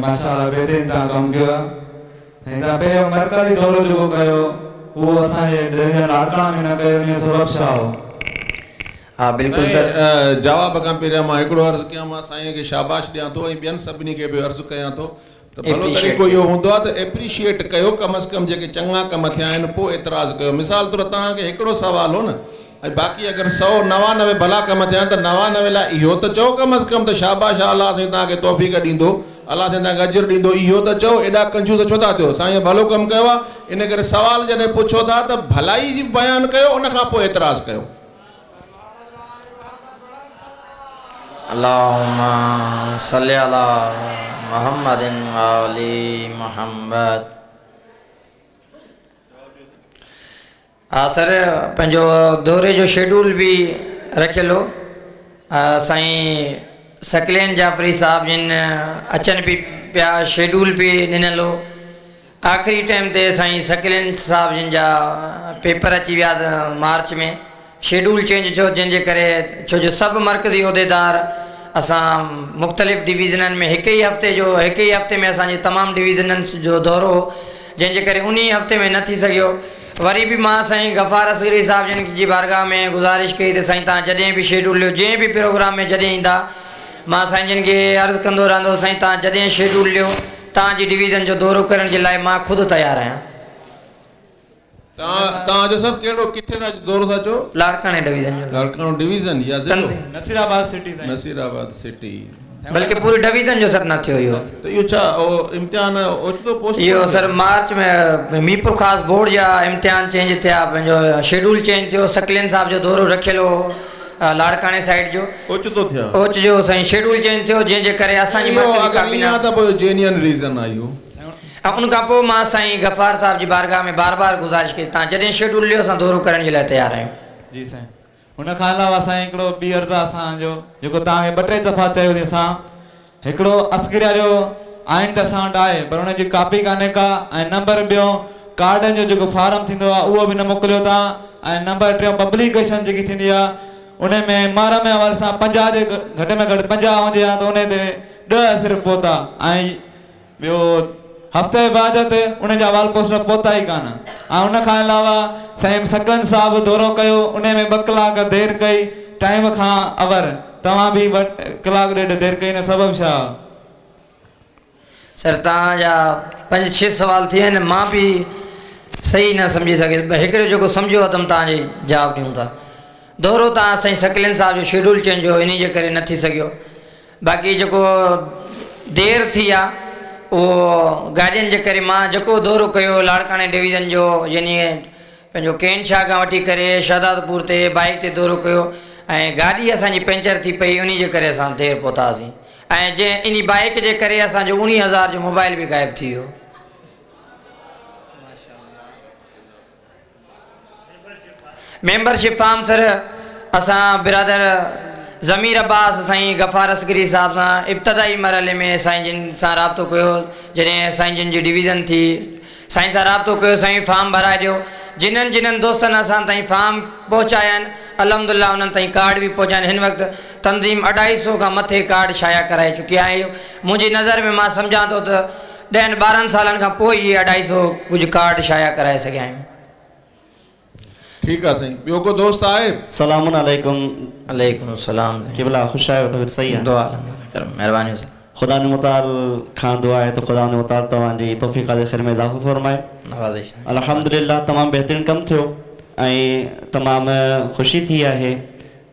माशाअल्लाह बहितरीन तव्हां कमु कयो आहे। तव्हां पहिरियों मरकज़ी दौरो जेको कयो उहो असांजे डिवीज़न लाड़काना में न कयो, इन जो सबबु छा हो? हा बिल्कुलु सर। जवाब खां पहिरियां मां हिकिड़ो अर्ज़ु कयां, मां साईं खे शाबाश ॾियां थो ऐं ॿियनि सभिनी खे बि अर्ज़ु कयां थो त भलो तरीक़ो इहो हूंदो आहे त एप्रीशिएट कयो, कम अज़ कम जेके चङा कम थिया आहिनि पोइ एतिराज़ कयो। मिसाल तौरु तव्हांखे हिकिड़ो सवाल हो न, ऐं बाक़ी अगरि 199 भला कम थिया आहिनि त 99 लाइ इहो त चओ कम अज़ कम त शाबाश, अलाह साईं तव्हांखे तौफ़ीक़ ॾींदो, अलाह साईं तव्हांखे अजर ॾींदो, इहो त चओ। एॾा कंजूस छो था थियो? साईं भलो कमु कयो आहे, इन करे सवाल जॾहिं पुछो था त भलाई जी बयानु कयो, उन खां पोइ एतिराज़ कयो। अल्लाहुम्मा सल्ली अला मुहम्मदिन व आली मुहम्मद। हा सर, पंहिंजो दौरे जो शेड्यूल बि रखियलु हो। साईं सकलैन जाफ़री साहिब जिन अचनि बि पिया, शेड्यूल बि ॾिनल हो। आख़िरी टाइम ते साईं सकलैन साहिब जिन जा पेपर अची विया मार्च में, शेड्यूल चेंज थियो, जंहिंजे करे छो जो सभु मर्कज़ी उहिदेदार असां मुख़्तलिफ़ डिवीज़ननि में हिकु ई हफ़्ते में असांजे तमामु डिवीज़ननि जो दौरो हो, जंहिंजे करे उन हफ़्ते में न थी सघियो। वरी बि मां साईं गफ़ार असगरी साहिब जिन जी बारगाह में गुज़ारिश कई त साईं तव्हां जॾहिं बि शेड्यूल ॾियो, जंहिं बि प्रोग्राम में जॾहिं ईंदा, मां साईं जिन खे अर्ज़ु कंदो रहंदो साईं तव्हां जॾहिं शेड्यूल ॾियो, तव्हांजी डिवीज़न जो दौरो करण जे लाइ मां ख़ुदि तयारु आहियां। तव्हांजो सर कहिड़ो किथे था दौरो था चओ? लाड़काणे डिवीज़न जो। लाड़काणो डिवीज़न या ज़िलो? नसीराबाद सिटी। नसीराबाद सिटी, बल्कि पूरी डिवीज़न जो सर न थियो इहो। त इहो छा इम्तिहान ओचितो पोस्ट? इहो सर मार्च में मीरपुर ख़ासि बोर्ड जा इम्तिहान चेंज थिया, पंहिंजो शेड्यूल चेंज थियो, सकलैन साहिब जो दौरो रखियलु हो लाड़काणे साइड जो, ओचितो थियो। ओचितो साईं शेड्यूल चेंज थियो, जंहिंजे करे असांजी मर्कज़ी काबीना त पोइ जेन्युइन रीज़न आहे इहो। ऐं उन खां पोइ मां साईं गफ़ार साहिब जी बारगाह में बार बार गुज़ारिश कई, तव्हां जॾहिं शेड्यूल ॾियो असां दौरो करण जे लाइ तयारु आहियूं। जी साईं, हुन खां अलावा साईं हिकिड़ो ॿी अर्ज़ु आहे असांजो, जेको तव्हांखे ॿ टे दफ़ा चयोसीं असां, हिकिड़ो अस्करिया जो आइन त असां वटि आहे पर हुनजी कॉपी कान्हे का, ऐं नंबर ॿियो कार्डनि जो जेको फार्म थींदो आहे उहो बि न मोकिलियो तव्हां, ऐं नंबर टियों पब्लिकेशन जेकी थींदी आहे उन में मुहर्रम जे हवाले सां 50 जे घटि में घटि 50 हूंदी आहे त उन ते 10 सिर्फ़ु पहुता, ऐं ॿियो हफ़्ते बाद ते उन जा वाल पोस्टर पहुता ई कान। ऐं उन खां अलावा साईं सकलैन साहिब दौरो कयो, उन में 2 कलाक देरि कई टाइम खां अवर, तव्हां बि 2 कलाक ॾेढ देरि कई, न सबबु छा? सर तव्हांजा 5-6 सवाल थी विया आहिनि, मां बि सही न सम्झी सघियुसि, हिकिड़ो जेको सम्झियो अथमि तव्हांजे जवाबु ॾियूं था। दौरो तव्हां साईं सकलैन साहिब जो शेड्यूल चेंज हो, इन जे करे न थी सघियो। बाक़ी जेको देरि थी आहे उहो गाॾियुनि जे करे, मां जेको दौरो कयो लाड़काणे डिवीज़न जो, यानी पंहिंजो केन शाह खां वठी करे शहदादपुर ते बाइक ते दौरो कयो, ऐं गाॾी असांजी पंचर थी पई, उन जे करे असां देरि पहुतासीं, ऐं जंहिं इन बाइक जे करे असांजो 19,000 जो मोबाइल बि ग़ाइबु थी वियो। मेंबरशिप फॉर्म सर असां बिरादर ज़मीर अब्बास साईं गफ़ार असगरी साहिब सां इब्तदाई मरहले में साईं जिन सां राबितो कयो, जॾहिं साईं जिन जी डिवीज़न थी, साईं सां राबितो कयो, साईं फॉर्म भराए ॾियो। जिन्हनि जिन्हनि दोस्तनि असां ताईं फॉर्म पहुचाया आहिनि अल्हम्दुलिल्लाह उन्हनि ताईं कार्ड बि पहुचाया आहिनि। हिन वक़्तु तंज़ीम 250 खां मथे कार्ड शाया कराए चुकी आहे। मुंहिंजी नज़र में मां सम्झां थो त 10-12 सालनि खां पोइ इहे 250 कुझु कार्ड शाया कराए सघिया आहियूं। ठीकु आहे साईं, ॿियो को दोस्त आहे? सलाम अलैकुम। अलैकुम सलाम। किबला ख़ुशि आहियो? त सही आहे, दुआ महिरबानी सर। ख़ुदा मुताल खां दुआ आहे त ख़ुदा मुताल तव्हांजी तौफ़ीक़ ख़ैर में इज़ाफ़ो फरमाए। नवाज़िश। अल्हम्दुलिल्लाह तमामु बहितरीन कमु थियो ऐं तमामु ख़ुशी थी आहे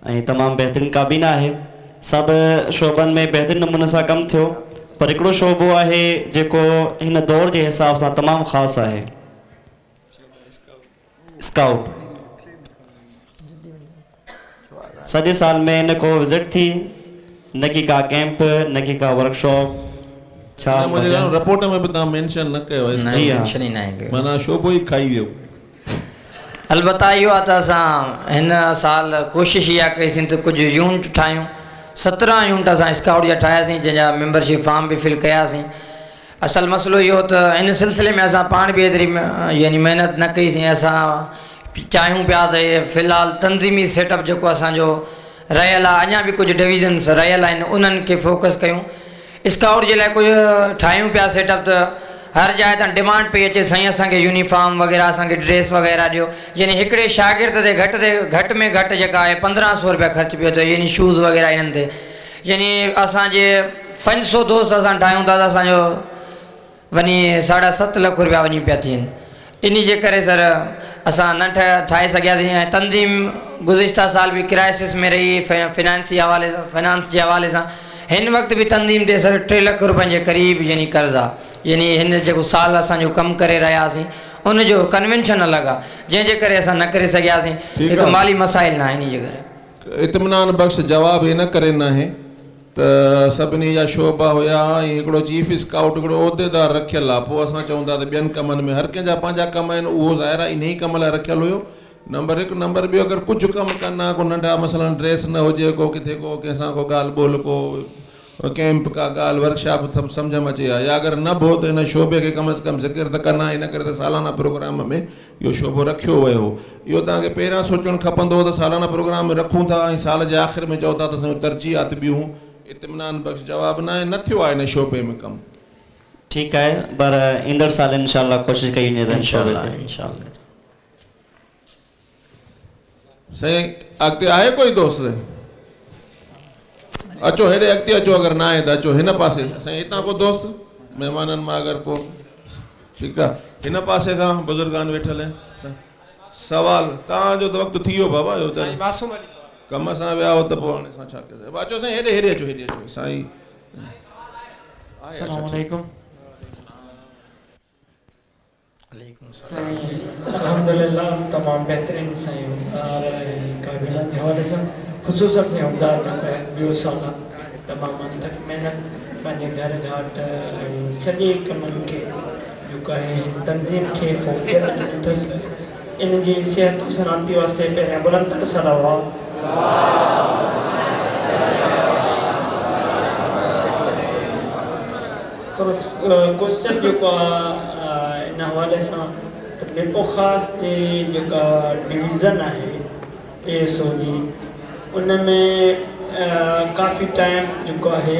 ऐं तमामु बहितरीन काबीना आहे। سڀ شعبن ۾ بهترين نموني سان ڪم ٿيو پر هڪڙو شعبو آهي جيڪو هن دور جي حساب سان تمام خاص آهي اسڪائوٽ سڄي سال ۾ نه ڪو وزٽ ٿي نه ڪي ڪا ڪيمپ نه ڪي ڪا ورڪشاپ ڇا نه منهنجي خيال ۾ رپورٽ ۾ به توهان مينشن نه ڪيو آهي جي ها مينشن ئي ناهي ڪيو معنيٰ شعبو ئي کائي ويو. البته اهو آهي ته اسان هن سال ڪوشش اها ڪئي سين ته ڪجهه يونٽ ٺاهيون 17 يونٽ اسان اسڪائوٽ جا ٺاهياسين جنهن جا ميمبرشپ فارم به فل ڪياسين اصل مسئلو اهو ته ان سلسلي ۾ اسان پاڻ به ايتري يعني محنت نه ڪئي سين اسان چاهيون پيا ته في الحال تنظيمي سيٽ اپ جيڪو اسان جو رهيل آهي اڃا به ڪجهه ڊويزنس رهيل آهن انهن کي فوڪس ڪيون اسڪائوٽ جي لاء ڪجهه ٺاهيون پيا سيٽ اپ ته هر جاء تان ڊمانڊ پئي اچي سائين اسان کي يونيفارم وغيره اسان کي ڊريس وغيره ڏيو يعني هڪڙي شاگرد تي گهٽ تي گهٽ ۾ گهٽ جيڪا آهي 1500 روپيا خرچ پيو اچي يعني شوز وغيره انهن تي يعني اسان جي 500 دوست اسان ٺاهيون ٿا ته اسان جو وڃي ساڍا ست لک روپيا وڃي پيا ٿين انهي جي ڪري سر اسان نه ٺاهي سگهياسين ۽ تنظيم گذشته سال به ڪرائسس ۾ رهي فنانسي حوالي سان فنانس جي حوالي سان هن وقت به تنظيم تي سر 3 لک روپين جي قريب يعني قرض آ يعني هن جيڪو سال اسان جو ڪم ڪري رهيا هئاسين ان جو ڪنوينشن الڳ آ جنهن جي ڪري اسان نه ڪري سگهياسين ٺيڪ هڪ آ. مالي مسائل نه آهن انهي جي ڪري. اطمينان بخش جواب ان ڪري ناهي ته سڀني جا شعبا هيا ۽ هڪڙو چيف اسڪائوٽ هڪڙو عهديدار رکيل آ پوء اسان چئون ٿا ته ٻين ڪمن ۾ هر ڪنهن جا پنهنجا ڪم آهن اهو ظاهر آ انهي ڪم لاء رکيل هيو نمبر هڪ نمبر ٻيو اگر ڪجهه ڪم ڪن ها ڪو ننڍا مثلا ڊريس نه هجي ڪو ڪٿي ڪو ڪنهن سان ڪو ڳالهه ٻولهه ڪو ڪيمپ ڪا ڳالهه ورڪشاپ ته سمجهه ۾ اچي ها يا اگر نه به هو ته ان شعبي کي ڪم از ڪم ذڪر ته ڪن ها ان ڪري ته سالانه پروگرام ۾ اهو شعبو رکيو ويو هو. اهو توهان کي پهريان سوچڻ کپندو هو ته سالانه پروگرام ۾ رکون ٿا ۽ سال جي آخر ۾ چئو ٿا ته اسان جون ترجيحات ٻيون هون. اطمينان بخش جواب ناهي، نه ٿيو آهي ان شعبي ۾ ڪم. ٺيڪ آهي پر ايندڙ سال انشاء الله ڪوشش ڪئي وڃي ته ان شعبي تي. سائين اڳتي آهي ڪوئي دوست؟ اچو هيڏي اڳتي اچو اگر نه آهي ته اچو هن پاسي سائين هتان ڪو دوست مهمانن مان اگر ڪو ٺيڪ آ هن پاسي کان بزرگان ويٺل آهن سوال توهان جو ته وقت ٿي ويو بابا اهو ته سائين معصوم علي سوال ڪم سان ويا هو ته پوء هاڻي اسان ڇا ڪيون اچو سائين هيڏي هيڏي اچو هيڏي اچو سائين السلام عليڪم سائين الحمدلله تمام بهترين سائين عهديدار ۽ ڪابينا جي حوالي سان خصوصا سائين عهديدار جيڪو آهي ٻيو سال آهي تمام انتڪ محنت پنهنجي گهر گهاٽ ۽ سڄي ڪمن کي جيڪو آهي هن تنظيم کي فوقيت ڏني اٿس ان جي صحت و سلامتي واسطي پهريان بلند تر صلوات پر ڪوئسچن جيڪو آ ان حوالي سان ته ميرپورخاص جي جيڪا ڊويزن آهي اي ايس او جي ان ۾ ڪافي ٽائيم جيڪو آهي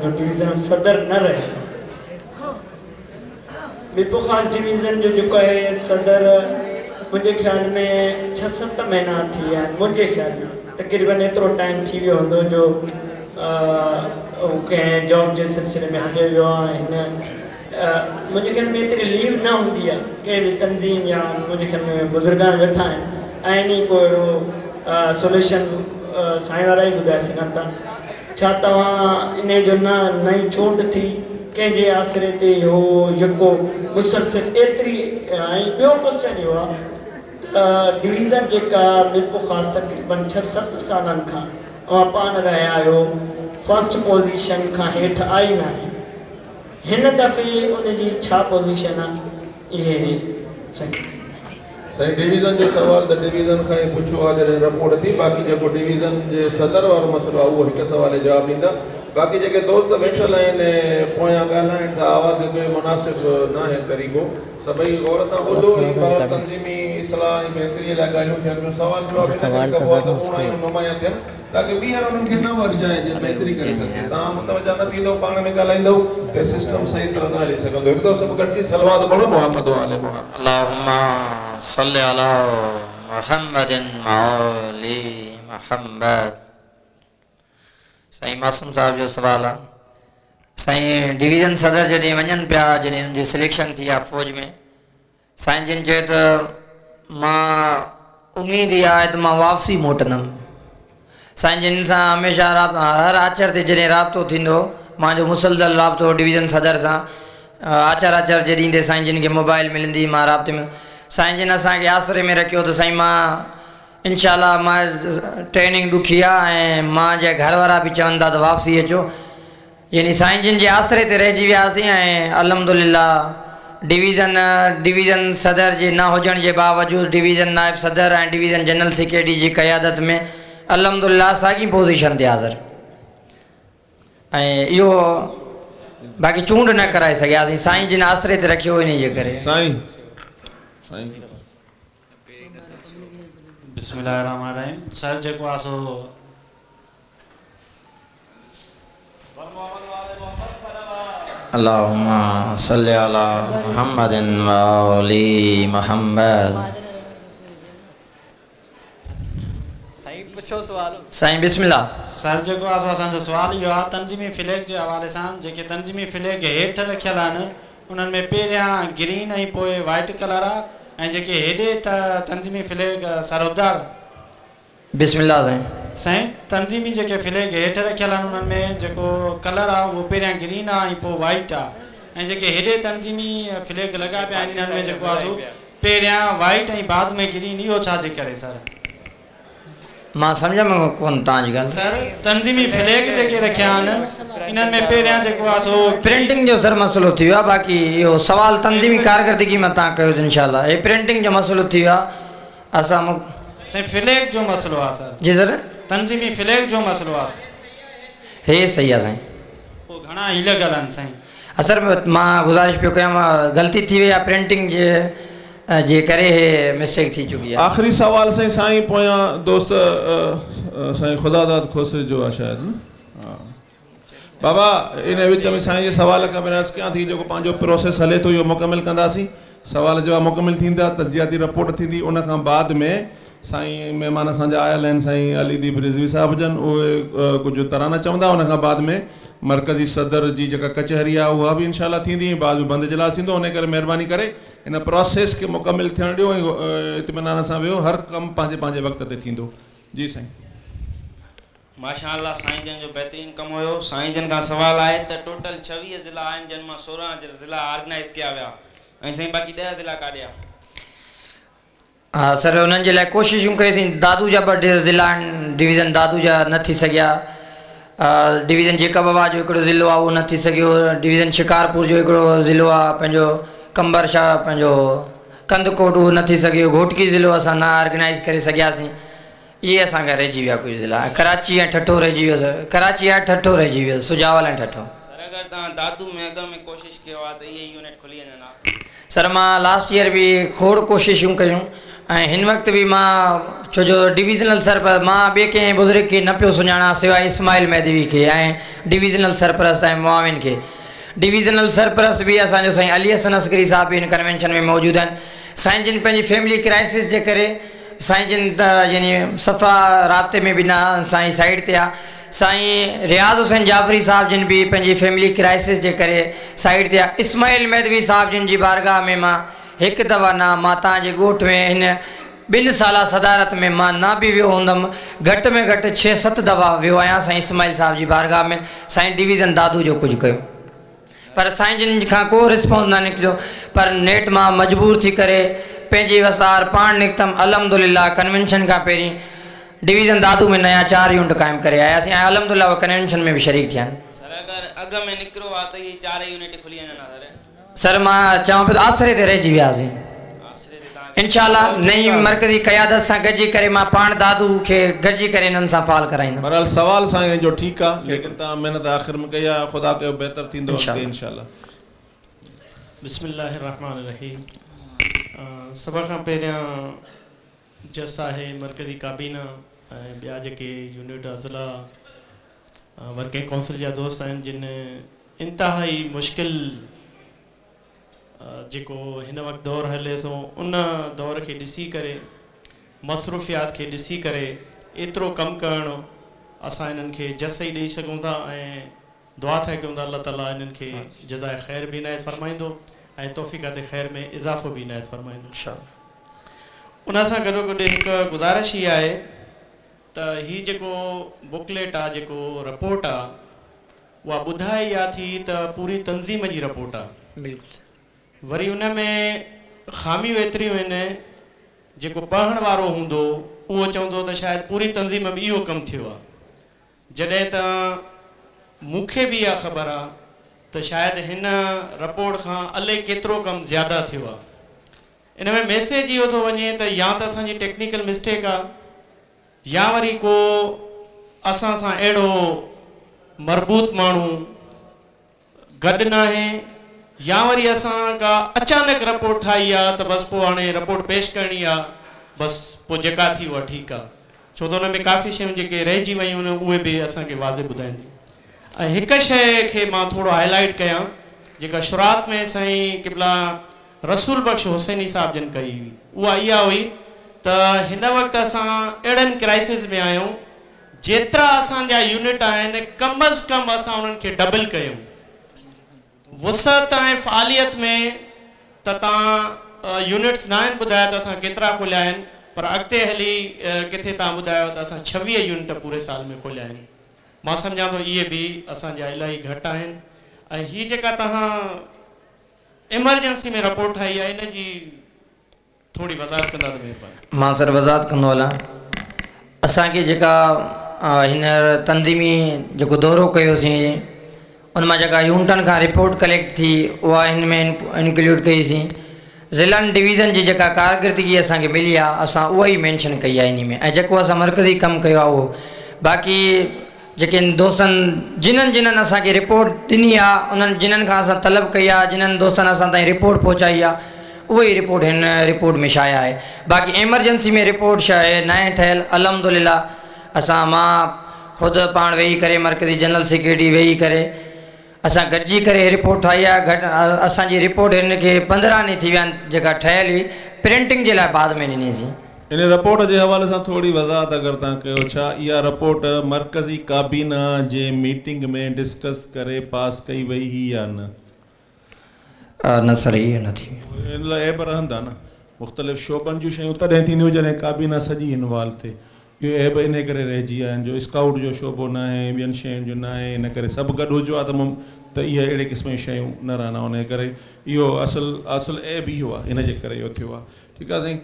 جو ڊويزن صدر نه رهيو ميرپورخاص ڊويزن جو جيڪو آهي صدر منهنجي خيال ۾ ڇهه ست مهينا ٿي ويا آهن منهنجي خيال ۾ تقريبن ايترو ٽائيم ٿي ويو هوندو جو هو ڪنهن جاب جي سلسلي ۾ هليو ويو آهي هن منهنجي خيال ۾ ايتري ليو نه هوندي آهي ڪنهن به تنظيم يا منهنجي خيال ۾ بزرگان ويٺا آهن ۽ انهي ڪو اهڙو سوليوشن سائين وارا ئي ٻڌائي سگهن ٿا ڇا توهان انهي جو نه نئين چونڊ ٿي ڪنهن جي آسري تي اهو يڪو مسلسل ايتري ۽ ٻيو ڪوسچن اهو آهي ته ڊويزن جيڪا ميرپورخاص تقريبن ڇهه ست سالن کان اوهان پاڻ رهيا آهيو فرسٽ پوزيشن کان هيٺ آئي ناهي هن دفعي ان جي ڇا پوزيشن آ اهي سائين. سائين ڊويزن جو سوال ته ڊويزن کان ئي پڇو ها جڏهن رپورٽ ٿي باقي جيڪو ڊويزن جي صدر وارو مسئلو آهي اهو هڪ سوال جي جواب ڏيندا باقي جيڪي دوست ويٺل آهن ۽ پويان ڳالهائين ٿا آواز جو اهو مناسب ناهي طريقو سڀئي غور سان ٻڌو ۽ بهرحال تنظيمي اصلاح ۽ بهتريء لاء ڳالهيون ٿين پيون، سوال جواب ان ڪري ڪبو آهي ته اوڻايون نمايان ٿين تاڪه ٻيهر انهن کي نه ورجائجي بهتري ڪري سگهجي. توهان متوجه نه ٿيندؤ پاڻ ۾ ڳالهائيندؤ ته سسٽم صحيح طرح نه هلي سگهندو. هڪ دفعو سڀ گڏجي صلوات پڙهو محمد وآل محمد. اللهم صل علي محمد وآل محمد. سائين معصوم صاحب جو سوال آ سائين ڊويزن صدر جڏهن وڃن پيا جڏهن ان جي سليڪشن ٿي آ فوج ۾ سائين جن چيو ته مان اميد اها آهي ته مان واپسي موٽندم. साईं जिन सां हमेशह हर आचर ते जॾहिं राब्तो थींदो, मुंहिंजो मुसलसल राब्तो डिवीज़न सदर सां, आचर आचर जे ॾींहं ते साईं जिन खे मोबाइल मिलंदी मां राब्ते में। साईं जिन असांखे आसरे में रखियो त साईं मां इनशाला मां ट्रेनिंग ॾुखी आहे ऐं मुंहिंजा घर वारा बि चवनि था त वापसी अचो, यानी साईं जिन जे आसरे ते रहिजी वियासीं ऐं अल्हम्दुलिल्लाह डिवीज़न सदर जे न हुजण जे बावजूद डिवीज़न नायब सदर ऐं डिवीज़न जनरल सेक्रेटरी जी क़यादत में अल्हम्दुलिल्लाह साॻी पोज़ीशन ते हाज़िर ऐं इहो बाक़ी चूंड न कराए सघियासीं, साईं जिन आसरे ते रखियो इन जे करे। साईं साईं बिस्मिल्लाहिर्रहमानिर्रहीम। सर जेको आहे सो अल्लाहुम्मा सल्ली अला मुहम्मदिन व आली मुहम्मद। साईं पुछो सवाल। साईं बिस्मिल्लाह। सर जेको आहे सो असांजो सवाल इहो आहे तंज़ीमी फ्लैग जे हवाले सां, जेके तंज़ीमी फ्लैग हेठि रखियल आहिनि उन्हनि में पहिरियां ग्रीन ऐं पोइ वाइट कलर आहे, ऐं जेके हेॾे त तंज़ीमी फ्लैग सरोदार। बिस्मिल्लाह। साईं साईं तंज़ीमी जेके फ्लैग हेठि रखियल आहिनि उन्हनि में जेको कलर आहे उहो पहिरियां ग्रीन आहे ऐं पोइ वाइट आहे, ऐं जेके हेॾे तंज़ीमी फ्लैग लॻा पिया आहिनि इन्हनि में जेको आहे सो पहिरियां वाइट ऐं बाद में ग्रीन, इहो छा जे करे सर? मां सम्झ में कोन तव्हांजी ॻाल्हि। सर तंज़ीमी फ्लैग जेके रखिया आहिनि इन्हनि में पहिरियां जेको आहे सो प्रिंटिंग जो सर मसइलो थी वियो आहे, बाक़ी इहो सवाल तंज़ीमी कारकर्दगी मां तव्हां कयो इंशाल्लाह। हे प्रिंटिंग जो मसइलो थी वियो आहे असां साईं फ्लैग जो मसइलो आहे सर। जी सर तंज़ीमी फ्लैग जो मसइलो आहे। हे सही आहे साईं। पोइ घणा ई लॻल आहिनि साईं। सर मां गुज़ारिश पियो कयां, ग़लती थी वई आहे प्रिंटिंग जे करे हे मिस्टेक थी चुकी आहे। आख़िरी सवाल साईं साईं पोयां दोस्त साईं ख़ुदादाद खोसे जो आहे शायदि न। हा बाबा इन विच में साईं जे सवाल खां पहिरियां कयां थी जेको पंहिंजो प्रोसेस हले थो इहो मुकमिल कंदासीं, सवाल जवाब मुकमिल थींदा, तजियाती रिपोर्ट थींदी, उन खां बाद में साईं महिमान असांजा आयल आहिनि साईं अली दीप रिज़वी साहिब जन, उहे कुझु तराना चवंदा, उन खां बाद में मरकज़ी सदर जी जेका कचहरी आहे उहा बि इंशाल्लाह थींदी, बाद में बंदि इजलास थींदो। उन करे महिरबानी करे हिन प्रोसेस खे मुकमिल थियणु ॾियो ऐं इत्मीनान सां वियो, हर कमु पंहिंजे पंहिंजे वक़्त ते थींदो। जी साईं। माशाअल्लाह साईं जन जो बहितरीन कमु हुयो। साईं जन खां सवाल आहे त टोटल 26 ज़िला आहिनि जन मां 16 ज़िला ऑर्गेनाइज़ कया विया ऐं साईं बाक़ी 10 ज़िला काॾे आहे? हा सर उन्हनि जे लाइ कोशिशूं कईसीं। दादू जा ॿ ज़िला आहिनि, डिवीज़न दादू जा न थी सघिया, डिवीज़न जेकबाबाद जो हिकिड़ो ज़िलो आहे उहो न थी सघियो, डिवीज़न शिकारपुर जो हिकिड़ो ज़िलो आहे पंहिंजो कंबर शाह पंहिंजो कंदकोट उहो न थी सघियो, घोटकी ज़िलो असां न ऑर्गेनाइज़ करे सघियासीं, इहे असांखां रहिजी विया कुझु ज़िला। कराची ऐं ठठो रहिजी वियो सर, कराची ऐं ठठो रहिजी वियो, सुजावल ऐं ठठो। सर अगरि तव्हां दादू में अॻु में कोशिशि कयो आहे त इहे यूनिट खुली वञनि हा? सर मां लास्ट ईयर बि खोड़ कोशिशूं कयूं ऐं हिन वक़्तु बि मां छो जो डिविज़नल सरपरस्त मां ॿिए कंहिं बुज़ुर्ग खे न पियो सुञाणां सिवाइ इस्माइल महदवी खे ऐं डिविज़नल सरपरस्त ऐं मुआविन खे। डिविज़नल सरपरस्त बि असांजो साईं अली हसन असगरी साहिबु बि हिन कन्वेंशन में मौजूदु आहिनि। साईं जिन पंहिंजी फैमिली क्राइसिस जे करे साईं जिन त यानी सफ़ा राब्ते में बि न, साईं साइड ते आहे। साईं रियाज़ हुसैन जाफ़री साहिबु जिन बि पंहिंजी फैमिली क्राइसिस जे करे साइड ते आहे। इस्माइल महदवी साहिबु जिन जी बारगाह में मां हिकु दफ़ा न, मां तव्हांजे ॻोठ में हिन 2 साल सदारत में मां न बि वियो हूंदमि, घटि में घटि 6-7 दफ़ा वियो आहियां साईं इस्माइल साहिब जी बारगाह में। साईं डिवीज़न दादू जो कुझु कयो पर साईं जिन खां को रिस्पॉन्स न निकितो, पर नेठ मां मजबूर थी करे पंहिंजी वसार पाण निकितमि। अल्हम्दुलिल्लाह कन्वेंशन खां पहिरीं डिवीज़न दादू में नया 4 यूनिट क़ाइमु करे आयासीं ऐं अल्हम्दुलिल्लाह उहे कन्वेंशन में बि शरीक थिया आहिनि। सर अगरि अॻु में निकिरो आहे त इहे 4 यूनिट खुली वञनि हा? सर मां चवां पियो आसरे ते रहिजी वियासीं। इंशाल्लाह नई मरकज़ी क़यादत सां गॾिजी करे मां पाण दादू खे गॾिजी करे इन्हनि सां फ़ाल कराईंदुमि। बहरहाल सवाल साईं जो ठीकु आहे, लेकिन तव्हां महिनत आख़िर में कई आहे, ख़ुदा कयो बहितर थींदो इंशाल्लाह। बिस्मिल्लाहिर्रहमानिर्रहीम। सभ खां पहिरियां जस आहे मरकज़ी काबीना ऐं ॿिया जेके यूनिट अज़ला वर्किंग काउंसिल जा दोस्त आहिनि जिन इंतिहाई मुश्किल जेको हिन वक़्तु दौर हले थो उन दौर खे ॾिसी करे मसरूफ़ियात खे ॾिसी करे एतिरो कमु करणु असां इन्हनि खे जस ई ॾेई सघूं था ऐं दुआ था कयूं था अलाह ताला इन्हनि खे जज़ाए ख़ैर बि इनायत फ़रमाईंदो ऐं तौफ़ीक़ात ख़ैर में इज़ाफ़ो बि इनायत फ़रमाईंदो। उन सां गॾो गॾु हिकु गुज़ारिश इहा आहे त त ही जेको बुकलेट आहे, जेको रिपोर्ट आहे, उहा ॿुधाए इहा थी त पूरी तंज़ीम जी रिपोर्ट आहे। बिल्कुलु। वरी उन में ख़ामियूं एतिरियूं आहिनि, जेको पढ़ण वारो हूंदो उहो चवंदो त शायदि पूरी तंज़ीम में इहो कमु थियो आहे। जॾहिं त मूंखे बि इहा ख़बर आहे त शायदि हिन रिपोर्ट खां अलाए केतिरो कमु ज़्यादा थियो आहे। इन में मैसेज इहो थो वञे त या त असांजी टेक्निकल मिस्टेक आहे या वरी को असां सां अहिड़ो मरबूत माण्हू गॾु न आहे, या वरी असां का अचानक रिपोर्ट ठाही आहे त बसि पोइ हाणे रिपोर्ट पेश करणी आहे, बसि पोइ जेका थी उहा ठीकु आहे। छो त हुन में काफ़ी शयूं जेके रहिजी वयूं आहिनि उहे बि असांखे वाज़े ॿुधाइनि। ऐं हिकु शइ खे मां थोरो हाईलाइट कयां जेका शुरुआत में साईं क़िबला रसूल बख़्श हुसैनी साहिब जन कई हुई, उहा इहा हुई त हिन वक़्तु असां अहिड़नि क्राइसिस में आहियूं, जेतिरा असांजा यूनिट आहिनि कम अज़ कम असां उन्हनि खे डबल कयूं। वुसअत ऐं फ़ालियत में त तव्हां यूनिट्स न आहिनि ॿुधाया त असां केतिरा खोलिया आहिनि, पर अॻिते हली किथे तव्हां ॿुधायो त असां 26 यूनिट पूरे साल में खोलिया आहिनि। मां सम्झां थो इहे बि असांजा इलाही घटि आहिनि। ऐं हीअ जेका तव्हां इमरजेंसी में रिपोर्ट ठाही आहे इन जी थोरी वज़ाहत कंदा त महिरबानी। मां सर वज़ाहत कंदो हलां। असांखे जेका हींअर तंज़ीमी जेको दौरो कयोसीं उन मां जेका यूनिटनि खां रिपोर्ट कलेक्ट थी उहा हिन में इनक्लूड कईसीं। ज़िलनि डिवीज़न जी जेका कारकर्दगी असांखे मिली आहे असां उहा ई मेंशन कई आहे इन में, ऐं जेको असां मर्कज़ी कमु कयो आहे उहो। बाक़ी जेके दोस्तनि जिन्हनि जिन्हनि असांखे रिपोर्ट ॾिनी आहे उन्हनि जिन्हनि खां असां तलब कई आहे, जिन्हनि दोस्तनि असां ताईं रिपोर्ट पहुचाई आहे उहा ई रिपोर्ट हिन रिपोर्ट में शाया आहे। बाक़ी एमरजेंसी में रिपोर्ट छा आहे न आहे ठहियल। अल्हम्दुलिल्लाह असां मां ख़ुदि पाण वेही करे मर्कज़ी जनरल सेक्रेटरी वेही करे असां गॾिजी करे रिपोर्ट ठाही आहे। घटि असांजी रिपोर्ट हिन खे 15 ॾींहं थी विया आहिनि जेका ठहियल हुई, प्रिंटिंग जे लाइ बाद में ॾिनीसीं। इन रिपोर्ट जे हवाले सां थोरी वज़ाहत अगरि तव्हां कयो, छा इहा रिपोर्ट मर्कज़ी काबीना जे मीटिंग में डिस्कस करे पास कई वई हुई या न? न सर, इहो न थी। इन लाइ ऐब रहंदा न, मुख़्तलिफ़ शोबनि जूं शयूं तॾहिं थींदियूं जॾहिं काबीना सॼी इन्वॉल्व थिए। इहो ऐब इन करे रहिजी विया आहिनि जो स्काउट जो शोबो न आहे, ॿियनि शयुनि जो न आहे, इन करे सभु गॾु हुजो आहे त इहे अहिड़े क़िस्म जूं शयूं न रहंदा। उन करे इहो असुलु असुलु ऐब इहो आहे, इन जे करे इहो थियो आहे। ठीकु आहे साईं,